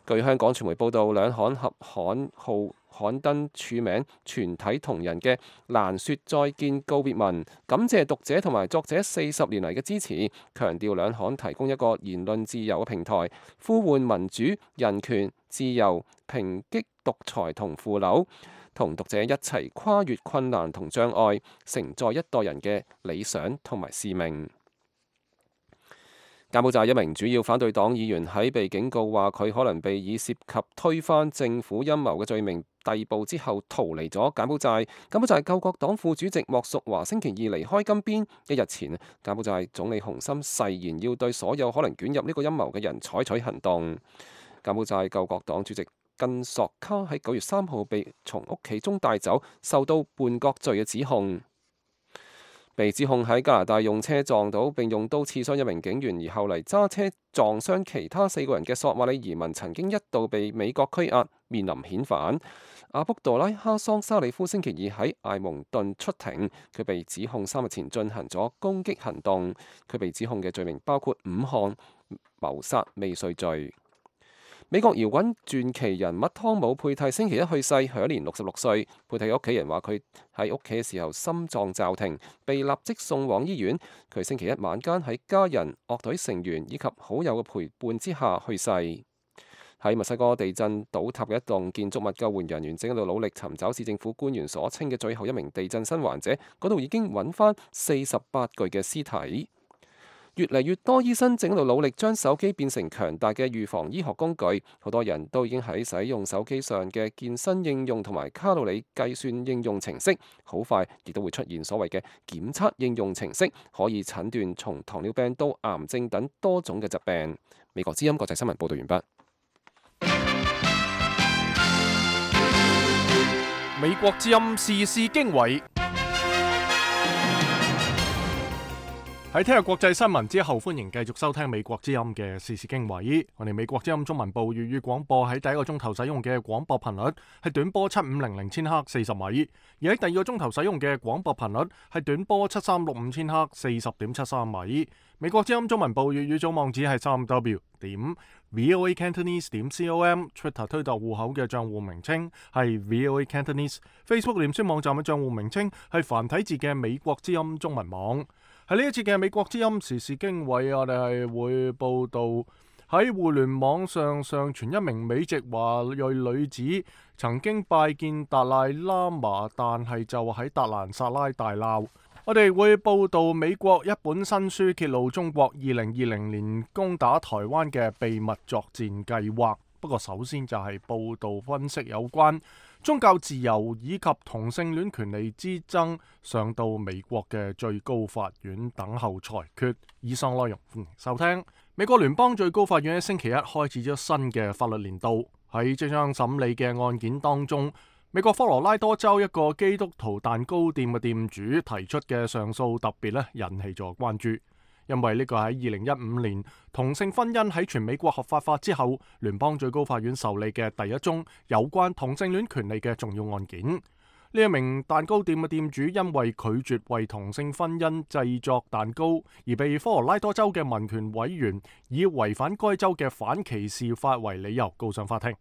據香港傳媒報道，兩刊合刊號刊登署名全體同仁嘅蘭說再見告別文，感謝讀者同埋作者四十年嚟嘅支持，強調兩刊提供一個言論自由嘅平台，呼喚民主、人權、自由，抨擊獨裁同腐朽，同讀者一齊跨越困難同障礙，承載一代人嘅理想同埋使命。柬埔寨一名主要反對黨議員喺被警告話佢可能被以涉及推翻政府陰謀嘅罪名逮捕之後逃離咗柬埔寨。柬埔寨救國黨副主席莫淑華星期二離開金邊。一日前，柬埔寨總理洪森誓言要對所有可能捲入呢個陰謀嘅人採取行動。柬埔寨救國黨主席根索卡喺九月三號被從屋企中帶走，受到叛國罪嘅指控。被指控喺加拿大用車撞倒並用刀刺傷一名警員，而後嚟揸車撞傷其他四個人嘅索馬里移民，曾經一度被美國拘押，面臨遣返。阿卜杜拉哈桑沙里夫星期二喺艾蒙頓出庭，佢被指控三日前進行咗攻擊行動。佢被指控嘅罪名包括五項謀殺未遂罪。美國搖滾傳奇人物湯姆佩蒂星期一去世，享年六十六歲。佩蒂嘅屋企人話佢喺屋企嘅時候心臟驟停，被立即送往醫院。佢星期一晚間喺家人、樂隊成員以及好友嘅陪伴之下去世。喺墨西哥地震倒塌嘅一棟建築物，救援人員正喺度努力尋找市政府官員所稱嘅最後一名地震生還者。嗰度已經揾翻四十八具嘅屍體。越嚟越多醫生正喺度努力將手機變成強大嘅預防醫學工具，好多人都已經喺使用手機上嘅健身應用同埋卡路里計算應用程式，好快亦都會出現所謂嘅檢測應用程式，可以診斷從糖尿病到癌症等多種嘅疾病。美國之音國際新聞報道完畢。美國之音時事經緯。喺聽日國際新聞之後，歡迎繼續收聽美國之音嘅時事經緯。我哋美國之音中文部粵語廣播喺第一個鐘頭使用嘅廣播頻率係短波七五零零千赫四十米，而喺第二個鐘頭使用嘅廣播頻率係短波七三六五千赫四十點七三米。美國之音中文部粵語總網址係三 w 點 voa cantonese 點 com，Twitter 推特戶口嘅賬戶名稱係 voa cantonese，Facebook 臉書網站嘅賬戶名稱係繁體字嘅美國之音中文網。喺呢一次嘅美國之音時事經緯，我哋係會報道喺互聯網上上傳一名美籍華裔女子曾經拜見達賴喇嘛，但係就喺達蘭薩拉大鬧。我哋會報道美國一本新書揭露中國二零二零年攻打台灣嘅秘密作戰計劃。不過首先就係報道分析有關宗教自由以及同性戀權利之爭上到美國嘅最高法院等候裁決。以上內容歡迎收聽。美國聯邦最高法院喺星期一開始咗新嘅法律年度。喺即將審理嘅案件當中，美國科羅拉多州一個基督徒蛋糕店嘅店主提出嘅上訴特別咧引起咗關注，因為呢個喺二零一五年同性婚姻喺全美國合法化之後，聯邦最高法院受理嘅第一宗有關同性戀權利嘅重要案件。呢一名蛋糕店嘅店主因為拒絕為同性婚姻製作蛋糕，而被科羅拉多州嘅民權委員以違反該州嘅反歧視法為理由告上法庭。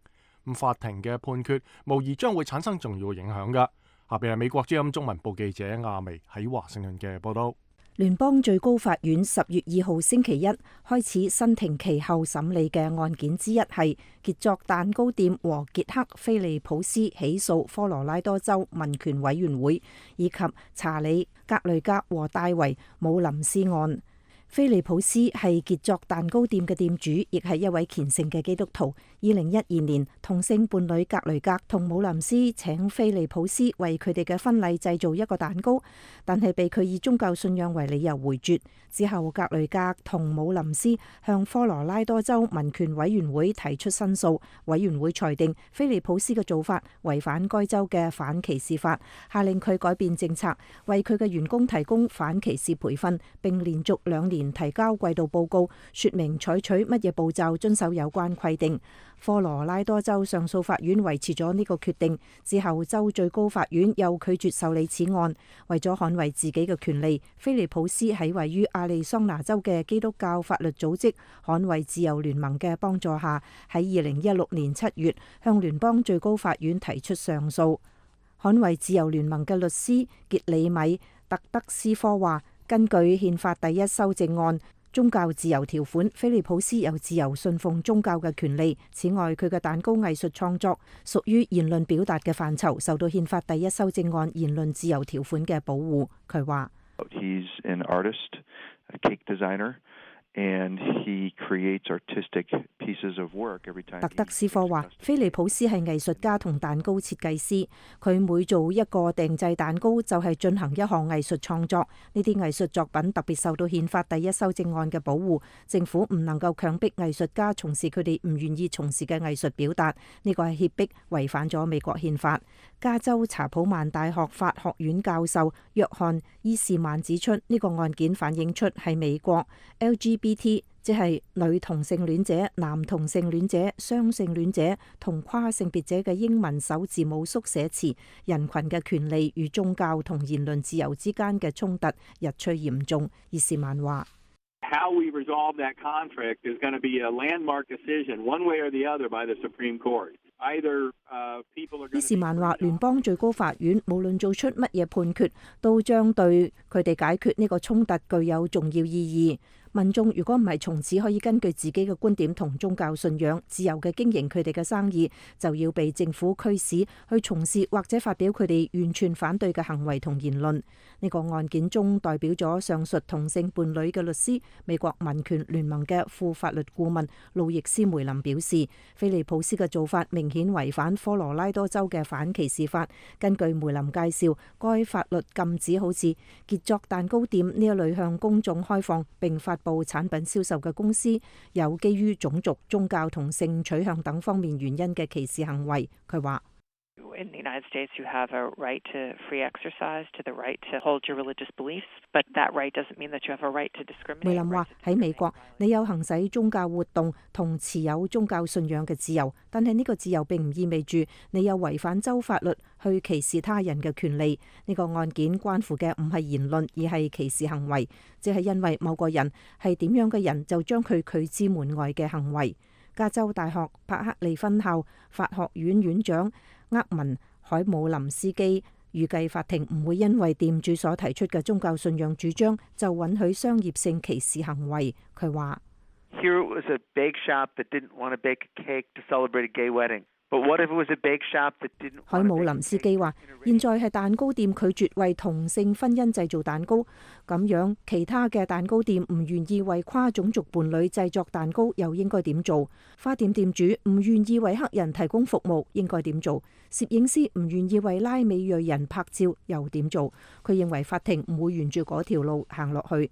咁法庭嘅判決無疑將會產生重要嘅影響㗎。下邊係美國之音中文部記者亞薇喺華盛頓嘅報道。聯邦最高法院十月二號星期一開始新庭期後審理嘅案件之一係傑作蛋糕店和傑克菲利普斯起訴科羅拉多州民權委員會以及查理格雷格和戴維姆林斯案。菲利普斯係傑作蛋糕店嘅店主，亦係一位虔誠嘅基督徒。二零一二年，同性伴侶格雷格同姆林斯請菲利普斯為佢哋嘅婚禮製造一個蛋糕，但係被佢以宗教信仰為理由回絕。之後，格雷格同姆林斯向科羅拉多州民權委員會提出申訴，委員會裁定菲利普斯嘅做法違反該州嘅反歧視法，下令佢改變政策，為佢嘅員工提供反歧視培訓，並連續兩年提交季度報告，說明採取乜嘢步驟遵守有關規定。科羅拉多州上訴法院維持咗呢個決定之後，州最高法院又拒絕受理此案。為咗捍衛自己嘅權利，菲利普斯喺位於亞利桑那州嘅基督教法律組織捍衛自由聯盟嘅幫助下，喺二零一六年七月向聯邦最高法院提出上訴。捍衛自由聯盟嘅律師傑里米特德斯科話，根據憲法第一修正案宗教自由條款，菲利普斯有自由信奉宗教嘅權利。此外，佢嘅蛋糕藝術創作屬於言論表達嘅範疇，受到憲法第一修正案言論自由條款嘅保護。佢話： And he creates artistic pieces of work every time.特德斯科話：菲利普斯係藝術家同蛋糕設計師，佢每做一個訂製蛋糕就係進行一項藝術創作。呢啲藝術作品特別受到憲法第一修正案嘅保護，政府唔能夠強迫藝術家從事佢哋唔願意從事嘅藝術表達，呢個係脅迫，違反咗美國憲法。加州查普曼大學法學院教授約翰伊士曼指出，呢個案件反映出係美國 L G B T， 即係女同性戀者、男同性戀者、雙性戀者同跨性別者嘅英文首字母縮寫詞人群嘅權利與宗教同言論自由之間嘅衝突日趨嚴重。伊士曼話：How we resolve that conflict is going to be a landmark decision, one way or the other, by the Supreme Court. Either, uh, people are going to... 伊士曼話：聯邦最高法院無論做出乜嘢判決，都將對佢哋解決呢個衝突具有重要意義。民眾如果唔係從此可以根據自己嘅觀點同宗教信仰自由嘅經營佢哋嘅生意，就要被政府驅使去從事或者發表佢哋完全反對嘅行為同言論。呢個案件中代表咗上述同性伴侶嘅律師，美國民權聯盟嘅副法律顧問路易斯梅林表示，菲利普斯嘅做法明顯違反科羅拉多州嘅反歧視法。根據梅林介紹，該法律禁止好似傑作蛋糕店呢一類向公眾開放並發布產品銷售嘅公司有基於種族、宗教同性取向等方面原因嘅歧視行為。佢話：In the United States, you have a right to free exercise, to the right to hold your religious beliefs, but that right doesn't mean that you have a right to discriminate. 梅林話：喺美國，你有行使宗教活動同持有宗教信仰嘅自由，但係呢個自由並唔意味住你有違反州法律去歧視他人嘅權利。呢個案件關乎嘅唔係言論，而係歧視行為，即係因為某個人係點樣嘅人，就將佢拒之門外嘅行為。加州大學柏克利分校法學院院長厄文海姆林斯基預計法庭唔會因為店主所提出嘅宗教信仰主張就允許商業性歧視行為。佢話：Here it was a bake shop that didn't want to bake a cake to celebrate a gay wedding. But what if it was a bake shop that didn't? 海姆林斯基話：現在係蛋糕店拒絕為同性婚姻製造蛋糕，咁樣其他嘅蛋糕店唔願意為跨種族伴侶製作蛋糕，又應該點做？花店店主唔願意為黑人提供服務，應該點做？攝影師唔願意為拉美裔人拍照，又點做？佢認為法庭唔會沿住嗰條路行落去。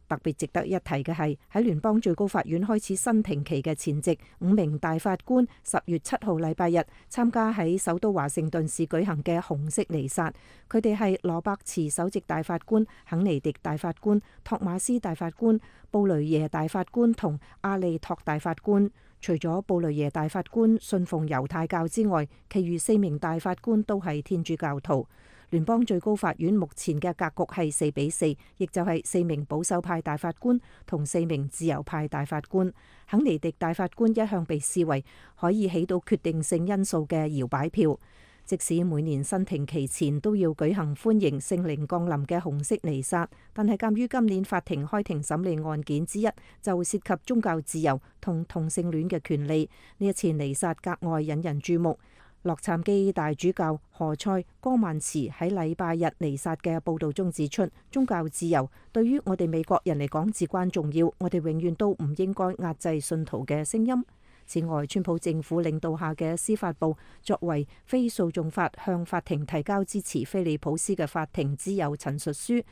特別值得一提嘅係，喺聯邦最高法院開始新庭期嘅前夕，五名大法官十月七號禮拜日參加喺首都華盛頓市舉行嘅紅色彌撒。佢哋係羅伯茨首席大法官、肯尼迪大法官、托馬斯大法官、布雷耶大法官同阿利托大法官。除咗布雷耶大法官信奉猶太教之外，其餘四名大法官都係天主教徒。聯邦最高法院目前嘅格局係四比四，亦就係四名保守派大法官同四名自由派大法官。肯尼迪大法官一向被視為可以起到決定性因素嘅搖擺票。即使每年新庭期前都要舉行歡迎聖靈降臨嘅紅色彌撒，但係鑑於今年法庭開庭審理案件之一就涉及宗教自由同同性戀嘅權利，呢一次彌撒格外引人注目。洛杉磯大主教何塞哥曼茨喺禮拜日彌撒嘅報導中指出，宗教自由對於我哋美國人嚟講至關重要，我哋永遠都唔應該壓制信徒嘅聲音。此外，川普政府領導下嘅司法部作為非訴訟法向法庭提交支持菲利普斯嘅法庭之友陳述書。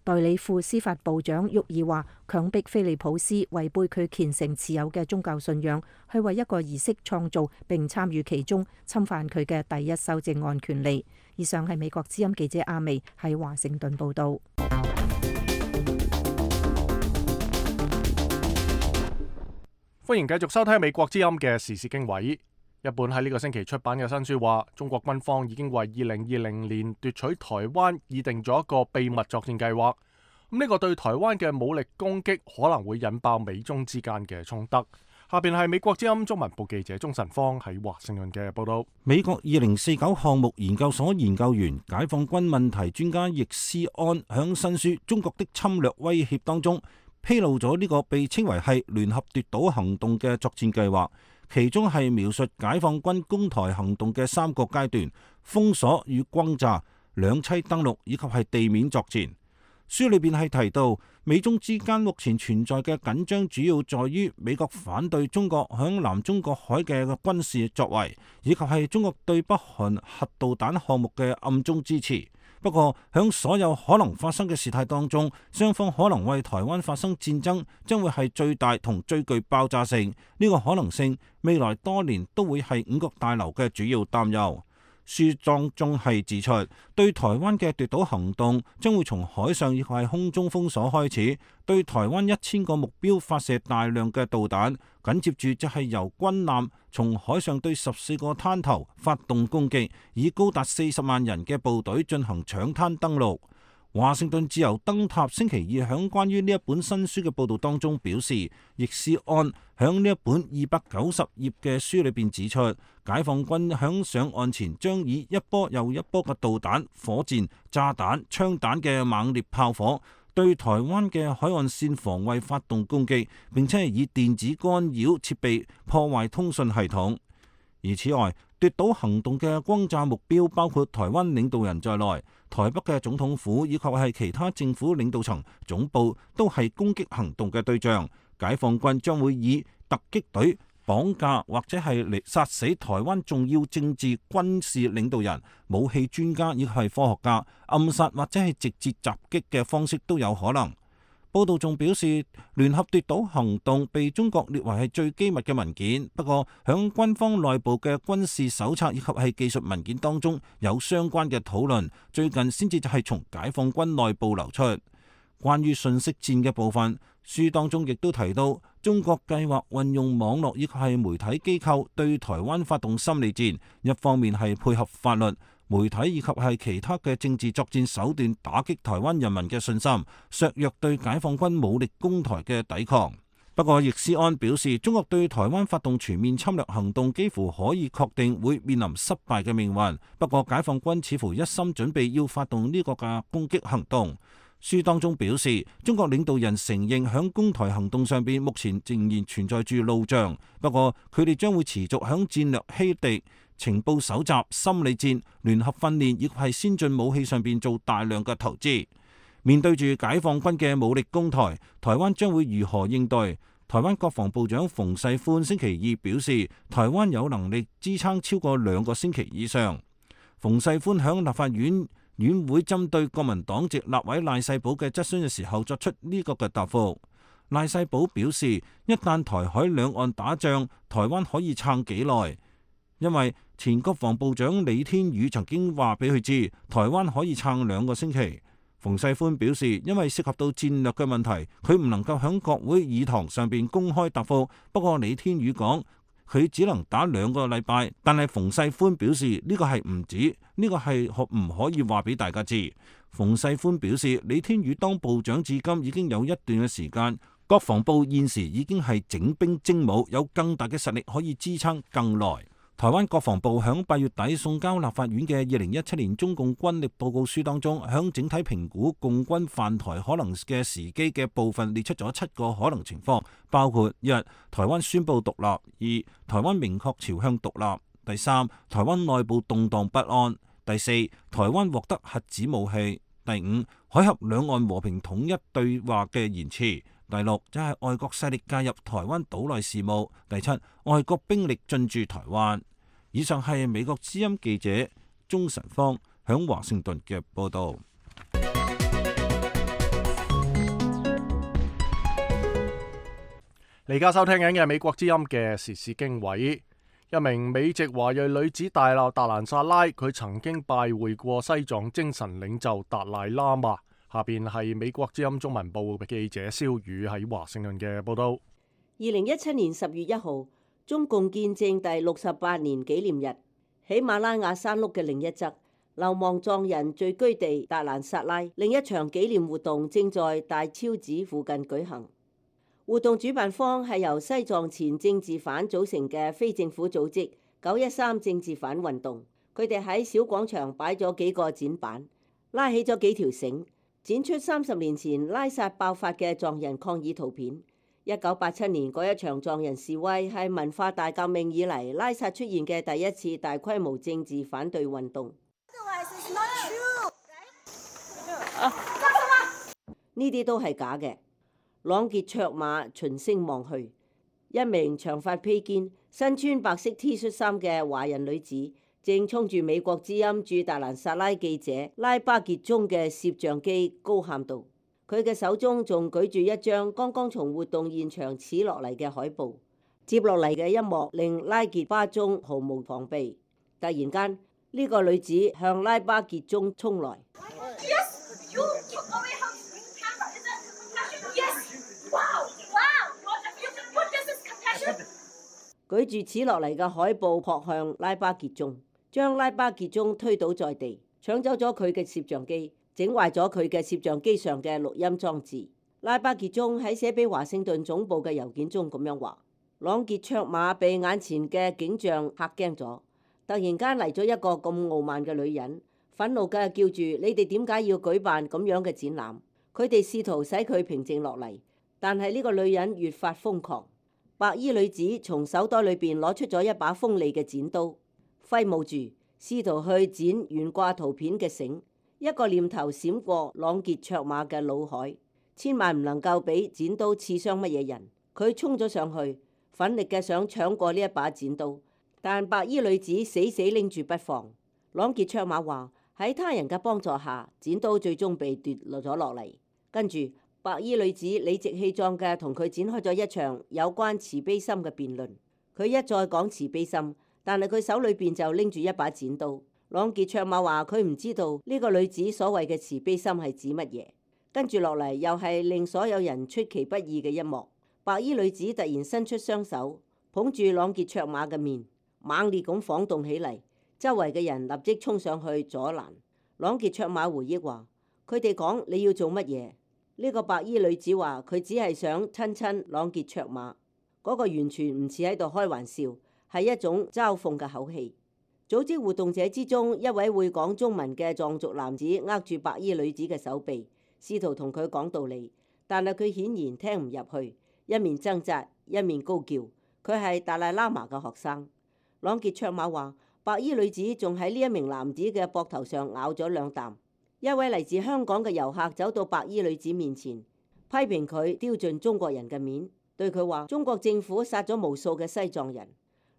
代理副司法部長沃爾話，強迫菲利普斯違背佢虔誠持有嘅宗教信仰，去為一個儀式創造並參與其中，侵犯佢嘅第一修正案權利。以上係美國之音記者阿薇喺華盛頓報道。歡迎繼續收聽美國之音嘅時事經緯。一本喺呢個星期出版嘅新書話，中國軍方已經為二零二零年奪取台灣擬定咗一個秘密作戰計劃。咁呢個對台灣嘅武力攻擊可能會引爆美中之間嘅衝突。下邊係美國之音中文部記者鍾晨芳喺華盛頓嘅報道。美國二零四九項目研究所研究員、解放軍問題專家易思安響新書《中國的侵略威脅》當中披露咗呢個被稱為係聯合奪島行動嘅作戰計劃。其中係描述解放軍攻台行動嘅三個階段：封鎖與轟炸、兩棲登陸以及係地面作戰。書裏邊係提到，美中之間目前存在嘅緊張主要在於美國反對中國響南中國海嘅軍事作為，以及係中國對北韓核導彈項目嘅暗中支持。不過，響所有可能發生嘅事態當中，雙方可能為台灣發生戰爭，將會係最大同最具爆炸性。呢個可能性，未來多年都會係五角大樓嘅主要擔憂。書當中係指出，對台灣嘅奪島行動將會從海上亦係空中封鎖開始，對台灣一千個目標發射大量嘅導彈，緊接住就係由軍艦從海上對十四個灘頭發動攻擊，以高達四十萬人嘅部隊進行搶灘登陸。華盛頓自由燈塔星期二響關於呢一本新書嘅報導當中表示，易思安響呢一本二百九十頁嘅書裏邊指出，解放軍響上岸前將以一波又一波嘅導彈、火箭、炸彈、槍彈嘅猛烈炮火，對台灣嘅海岸線防衛發動攻擊，並且係以電子干擾設備破壞通訊系統。而此外，奪島行動嘅轟炸目標包括台灣領導人在內，台北嘅總統府以及係其他政府領導層總部都係攻擊行動嘅對象。解放軍將會以突擊隊綁架或者係嚟殺死台灣重要政治軍事領導人、武器專家以及係科學家，暗殺或者係直接襲擊嘅方式都有可能。報道仲表示，聯合奪島行動被中國列為係最機密嘅文件，不過響軍方內部嘅軍事手冊以及係技術文件當中有相關嘅討論，最近先至就係從解放軍內部流出。關於信息戰嘅部分，書當中亦都提到，中國計劃運用網絡以及係媒體機構對台灣發動心理戰，一方面係配合法律、媒體以及係其他嘅政治作戰手段打擊台灣人民嘅信心，削弱對解放軍武力攻台嘅抵抗。不過，易思安表示，中國對台灣發動全面侵略行動幾乎可以確定會面臨失敗嘅命運。不過，解放軍似乎一心準備要發動呢個嘅攻擊行動。書當中表示，中國領導人承認響攻台行動上邊目前仍然存在住路障，不過佢哋將會持續響戰略欺敵、情報搜集、心理戰、聯合訓練以及係先進武器上邊做大量嘅投資。面對住解放軍嘅武力攻台，台灣將會如何應對？台灣國防部長馮世寬星期二表示，台灣有能力支撐超過兩個星期以上。馮世寬響立法院院會針對國民黨籍立委賴世寶嘅質詢嘅時候作出呢個嘅答覆。賴世寶表示，一旦台海兩岸打仗，台灣可以撐幾耐？因為前國防部長李天宇曾經話俾佢知，台灣可以撐兩個星期。馮世寬表示，因為涉及到戰略嘅問題，佢唔能夠響國會議堂上邊公開答覆。不過李天宇講，佢只能打兩個禮拜，但係馮世寬表示呢個係唔止，呢個係可唔可以話俾大家知？馮世寬表示，李天宇當部長至今已經有一段嘅時間，國防部現時已經係整兵精武，有更大嘅實力可以支撐更耐。台灣國防部響八月底送交立法院嘅二零一七年中共軍力報告書當中，響整體評估共軍犯台可能嘅時機嘅部分列出咗七個可能情況，包括一、台灣宣布獨立；二、台灣明確朝向獨立；第三、台灣內部動盪不安；第四、台灣獲得核子武器；第五、海峽兩岸和平統一對話嘅延遲。第六就係外國勢力介入台灣島內事務。第七，外國兵力進駐台灣。以上係美國之音記者鍾晨芳響華盛頓嘅報道。你而家收聽緊嘅美國之音嘅時事經緯，一名美籍華裔女子大鬧達蘭薩拉，佢曾經拜會過西藏精神領袖達賴喇嘛。下邊係美國之音中文部嘅記者蕭宇喺華盛頓嘅報道。二零一七年十月一號，中共建政第六十八年紀念日，喜馬拉雅山麓嘅另一側，流亡藏人聚居地達蘭薩拉，另一場紀念活動正在大昭寺附近舉行。活動主辦方係由西藏前政治犯組成嘅非政府組織九一三政治犯運動。佢哋喺小廣場擺咗幾個展板，拉起咗幾條繩，展出三十年前拉薩爆發嘅藏人抗議圖片。一九八七年嗰一場藏人示威係文化大革命以嚟拉薩出現嘅第一次大規模政治反對運動。呢啲都係假嘅。朗傑卓瑪循聲望去，一名長髮披肩、身穿白色 T 恤衫嘅華人女子正衝住美國之音駐達蘭薩拉記者拉巴傑中嘅攝像機高喊道，佢嘅手中仲舉住一張剛剛從活動現場扯落嚟嘅海報。接落嚟嘅一幕令拉傑巴中毫無防備，突然間呢個女子向拉巴傑中衝來。Yes, you took away her camera. Is that compassion? Yes. Wow, wow. What is this compassion? 舉住扯落嚟嘅海報撲向拉巴傑中，將拉巴傑中推倒在地，搶走咗佢嘅攝像機，整壞咗佢嘅攝像機上嘅錄音裝置。拉巴傑中喺寫俾華盛頓總部嘅郵件中咁樣話。朗傑卓瑪被眼前嘅景象嚇驚咗，突然間嚟咗一個咁傲慢嘅女人，憤怒嘅叫住：你哋點解要舉辦咁樣嘅展覽？佢哋試圖使佢平靜落嚟，但係呢個女人越發瘋狂。白衣女子從手袋裏邊攞出咗一把鋒利嘅剪刀，揮舞住，試圖去剪懸掛圖片嘅繩。一個念頭閃過朗傑卓瑪嘅腦海，千萬唔能夠俾剪刀刺傷乜嘢人。佢衝咗上去。奮力嘅想搶過呢一把剪刀，但白衣女子死死拎住不放。朗傑卓瑪話喺他人嘅幫助下，剪刀最終被奪落咗落嚟。跟住白衣女子理直氣壯嘅同佢展開咗一場有關慈悲心嘅辯論。佢一再講慈悲心，但係佢手裏邊就拎住一把剪刀。朗傑卓瑪話佢唔知道呢個女子所謂嘅慈悲心係指乜嘢。跟住落嚟又係令所有人出其不意嘅一幕。白衣女子突然伸出雙手，捧住朗傑卓瑪嘅面，猛烈咁晃動起嚟。周圍嘅人立即衝上去阻攔。朗傑卓瑪回憶話：佢哋講你要做乜嘢？呢個白衣女子話佢只係想親親朗傑卓瑪。嗰個完全唔似喺度開玩笑，係一種嘲諷嘅口氣。組織活動者之中，一位會講中文嘅藏族男子握住白衣女子嘅手臂，試圖同佢講道理，但係佢顯然聽唔入去。一面掙扎，一面高叫。佢係達賴喇嘛嘅學生。朗傑卓瑪話：白衣女子仲喺呢一名男子嘅膊頭上咬咗兩啖。一位嚟自香港嘅遊客走到白衣女子面前，批評佢丟盡中國人嘅面，對佢話：中國政府殺咗無數嘅西藏人。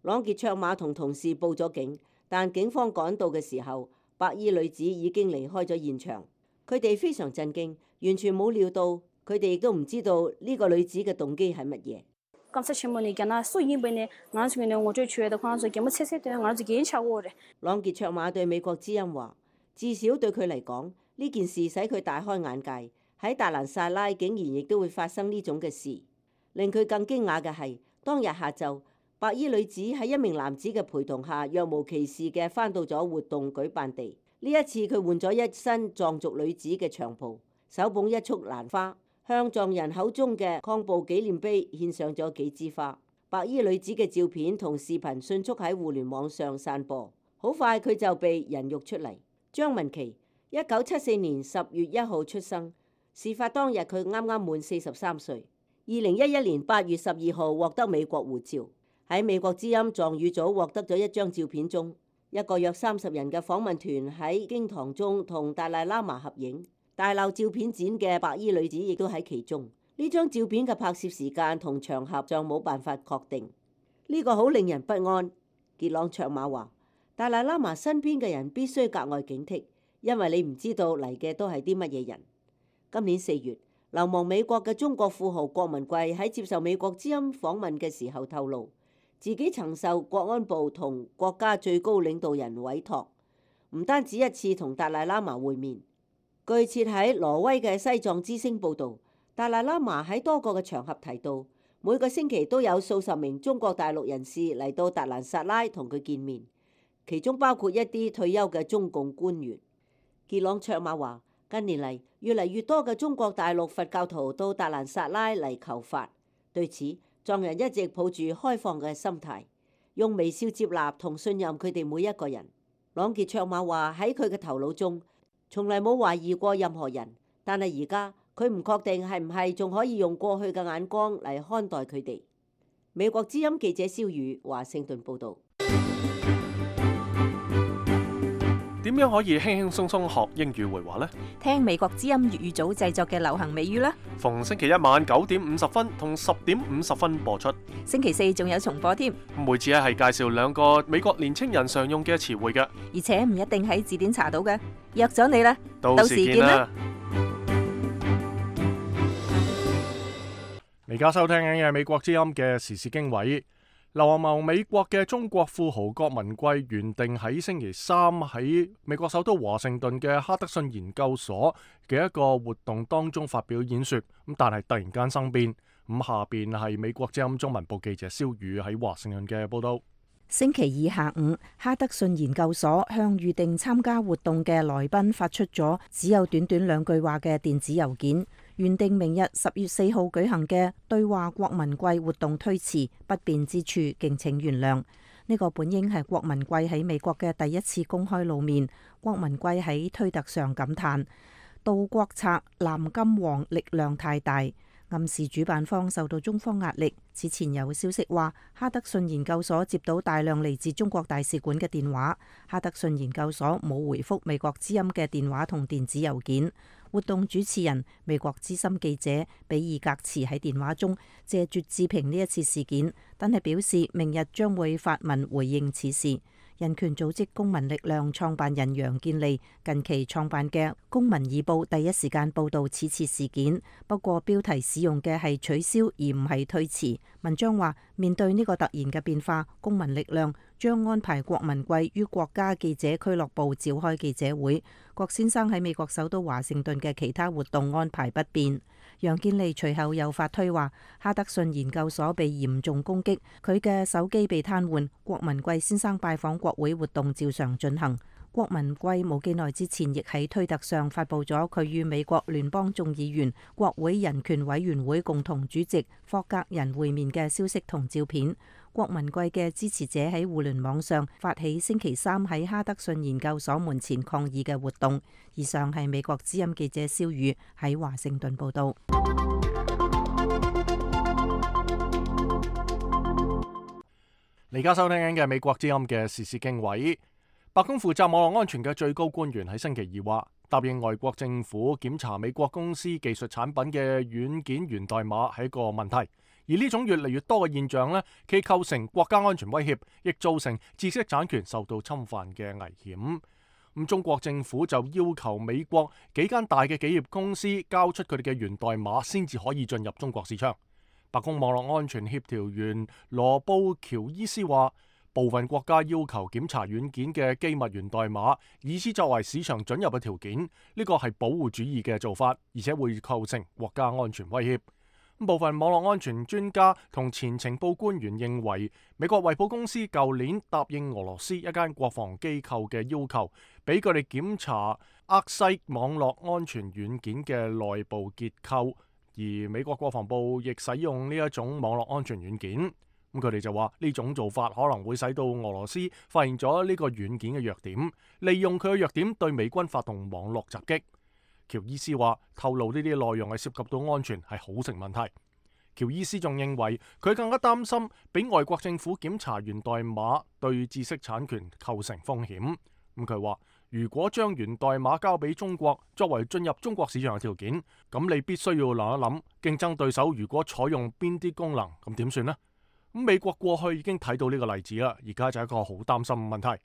朗傑卓瑪同同事報咗警，但警方趕到嘅時候，白衣女子已經離開咗現場。佢哋非常震驚，完全冇料到。佢哋亦都唔知道呢個女子嘅動機係乜嘢。朗傑卓瑪對美國之音話：至少對佢嚟講，呢件事使佢大開眼界。喺達蘭薩拉竟然亦都會發生呢種嘅事。令佢更驚訝嘅係，當日下晝，白衣女子喺一名男子嘅陪同下，若無其事嘅返到咗活動舉辦地。呢一次佢換咗一身藏族女子嘅長袍，手捧一束蘭花。向藏人口中嘅抗暴紀念碑獻上咗幾枝花。白衣女子嘅照片同視頻迅速喺互聯網上散播，好快佢就被人肉出嚟。張文琪，一九七四年十月一號出生，事發當日佢啱啱滿四十三歲。二零一一年八月十二號獲得美國護照，喺美國之音藏語組獲得咗一張照片中，一個約三十人嘅訪問團喺經堂中同達賴喇嘛合影。大鬧照片展嘅白衣女子亦都喺其中。呢張照片嘅拍攝時間同場合尚冇辦法確定。呢、這個好令人不安。傑朗卓瑪話：達賴喇嘛身邊嘅人必須格外警惕，因為你唔知道嚟嘅都係啲乜嘢人。今年四月，流亡美國嘅中國富豪郭文貴喺接受美國之音訪問嘅時候透露，自己曾受國安部同國家最高領導人委託，唔單止一次同達賴喇嘛會面。據設喺挪威嘅西藏之聲報導，達賴喇嘛喺多個嘅場合提到，每個星期都有數十名中國大陸人士嚟到達蘭薩拉同佢見面，其中包括一啲退休嘅中共官員。傑朗卓瑪話：近年嚟越嚟越多嘅中國大陸佛教徒到達蘭薩拉嚟求法，對此藏人一直抱住開放嘅心態，用微笑接納同信任佢哋每一個人。朗傑卓瑪話喺佢嘅頭腦中，從來冇懷疑過任何人，但係而家佢唔確定係唔係仲可以用過去嘅眼光嚟看待佢哋。美國之音記者蕭宇華盛頓報道。點樣可以輕輕鬆鬆學英語會話呢？聽美國之音粵語組製作嘅流行美語啦。逢星期一晚九點五十分同十點五十分播出。星期四仲有重播添。每次咧係介紹兩個美國年青人常用嘅詞彙嘅，而且唔一定喺字典查到嘅。約咗你啦，到時見啦。而家收聽緊嘅美國之音嘅時事經緯。流亡美國嘅中國富豪郭文貴原定喺星期三喺美國首都華盛頓嘅哈德遜研究所嘅一個活動當中發表演說，咁但係突然間生變。咁下邊係美國之音中文部記者蕭宇喺華盛頓嘅報道。星期二下午，哈德遜研究所向預定參加活動嘅來賓發出咗只有短短兩句話嘅電子郵件。原定明日十月四號舉行嘅對話郭文貴活動推遲，不便之處敬請原諒。呢個本應係郭文貴喺美國嘅第一次公開露面。郭文貴喺推特上感嘆：盜國賊藍金黃力量太大，暗示主辦方受到中方壓力。此前有消息話，哈德遜研究所接到大量嚟自中國大使館嘅電話，哈德遜研究所冇回覆美國之音嘅電話同電子郵件。活動主持人美國資深記者比爾格茨喺電話中謝絕置評呢一次事件，但係表示明日將會發文回應此事。人權組織公民力量創辦人楊建利近期創辦嘅《公民日報》第一時間報道此次事件，不過標題使用嘅係取消而唔係推遲。文章話，面對呢個突然嘅變化，公民力量將安排郭文貴於國家記者俱樂部召開記者會。郭先生喺美國首都華盛頓嘅其他活動安排不變。楊建利隨後又發推話，哈德遜研究所被嚴重攻擊，佢嘅手機被癱瘓。郭文貴先生拜訪國會活動照常進行。郭文貴冇幾耐之前亦喺推特上發布咗佢與美國聯邦眾議員國會人權委員會共同主席霍格人會面嘅消息同照片。郭文貴嘅支持者喺互聯網上發起星期三喺哈德遜研究所門前抗議嘅活動。以上係美國之音記者蕭宇喺華盛頓報道。你而家收聽緊嘅美國之音嘅時事經緯。白宮負責網絡安全嘅最高官員喺星期二話，答應外國政府檢查美國公司技術產品嘅軟件源代碼係一個問題，而呢種越嚟越多嘅現象呢，既構成國家安全威脅，亦造成知識產權受到侵犯嘅危險。咁中國政府就要求美國幾間大嘅企業公司交出佢哋嘅源代碼，先至可以進入中國市場。白宮網絡安全協調員羅布喬伊斯話，部分國家要求檢查軟件嘅機密源代碼，以此作為市場准入嘅條件，呢個係保護主義嘅做法，而且會構成國家安全威脅。部分網絡安全專家同前情報官員認為，美國衛寶公司舊年答應俄羅斯一間國防機構嘅要求，俾佢哋檢查厄西網絡安全軟件嘅內部結構，而美國國防部亦使用呢一種網絡安全軟件。咁佢哋就話呢種做法可能會使到俄羅斯發現咗呢個軟件嘅弱點，利用佢嘅弱點對美軍發動網絡襲擊。喬伊斯話透露呢啲內容係涉及到安全係好成問題。喬伊斯仲認為佢更加擔心俾外國政府檢查源代碼對知識產權構成風險。咁佢話如果將源代碼交俾中國作為進入中國市場嘅條件，咁你必須要諗一諗競爭對手如果採用邊啲功能，咁點算呢？咁美國過去已經睇到呢個例子啦，而家就係一個好擔心嘅問題。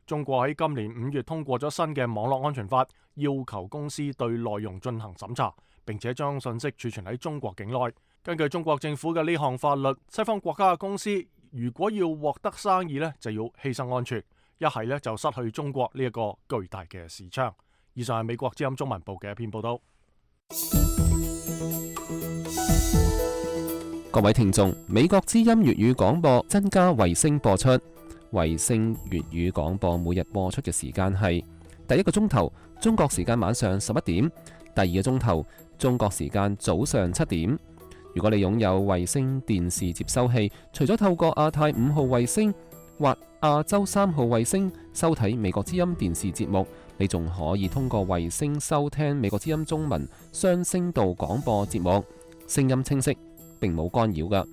中國喺今年五月通過咗新嘅網絡安全法，要求公司對內容進行審查，並且將信息儲存喺中國境內。根據中國政府嘅呢項法律，西方國家嘅公司如果要獲得生意呢，就要犧牲安全，一係呢就失去中國呢一個巨大嘅市場。以上係美國之音中文部嘅一篇報道。各位聽眾，美國之音粵語廣播增加衛星播出。衛星粵語廣播每日播出嘅時間係第一個鐘頭中國時間晚上十一點，第二個鐘頭中國時間早上七點。如果你擁有衛星電視接收器，除咗透過亞太五號衛星或亞洲三號衛星收睇美國之音電視節目，你仲可以通過衛星收聽美國之音中文雙聲道廣播節目，聲音清晰，並冇干擾㗎。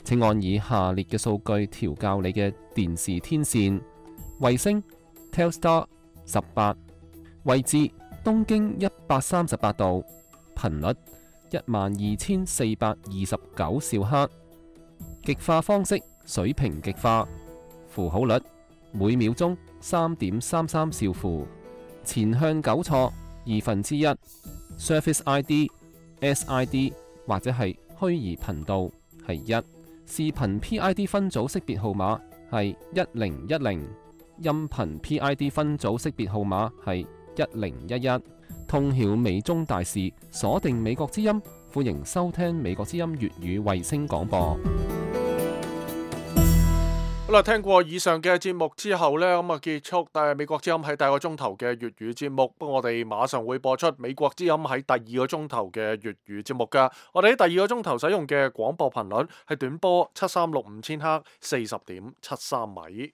請按以下列嘅數據調校你嘅電視天線：衛星 Telstar 十八。位置東經一百三十八度，頻率一萬二千四百二十九兆赫，極化方式水平極化，符號率每秒鐘三點三三兆符，前向糾錯二分之一 ，Surface I D、S I D 或者係虛擬頻道係一，視頻 P I D 分組識別號碼係一零一零，音頻 P I D 分組識別號碼係一零一一，通曉美中大事，鎖定美國之音，歡迎收聽美國之音粵語衛星廣播。好啦，聽過以上嘅節目之後呢，咁啊結束但係美國之音喺第二個鐘頭嘅粵語節目。不過我哋馬上會播出美國之音喺第二個鐘頭嘅粵語節目噶。我哋喺第二個鐘頭使用嘅廣播頻率係短波七三六五千赫，四十點七三米。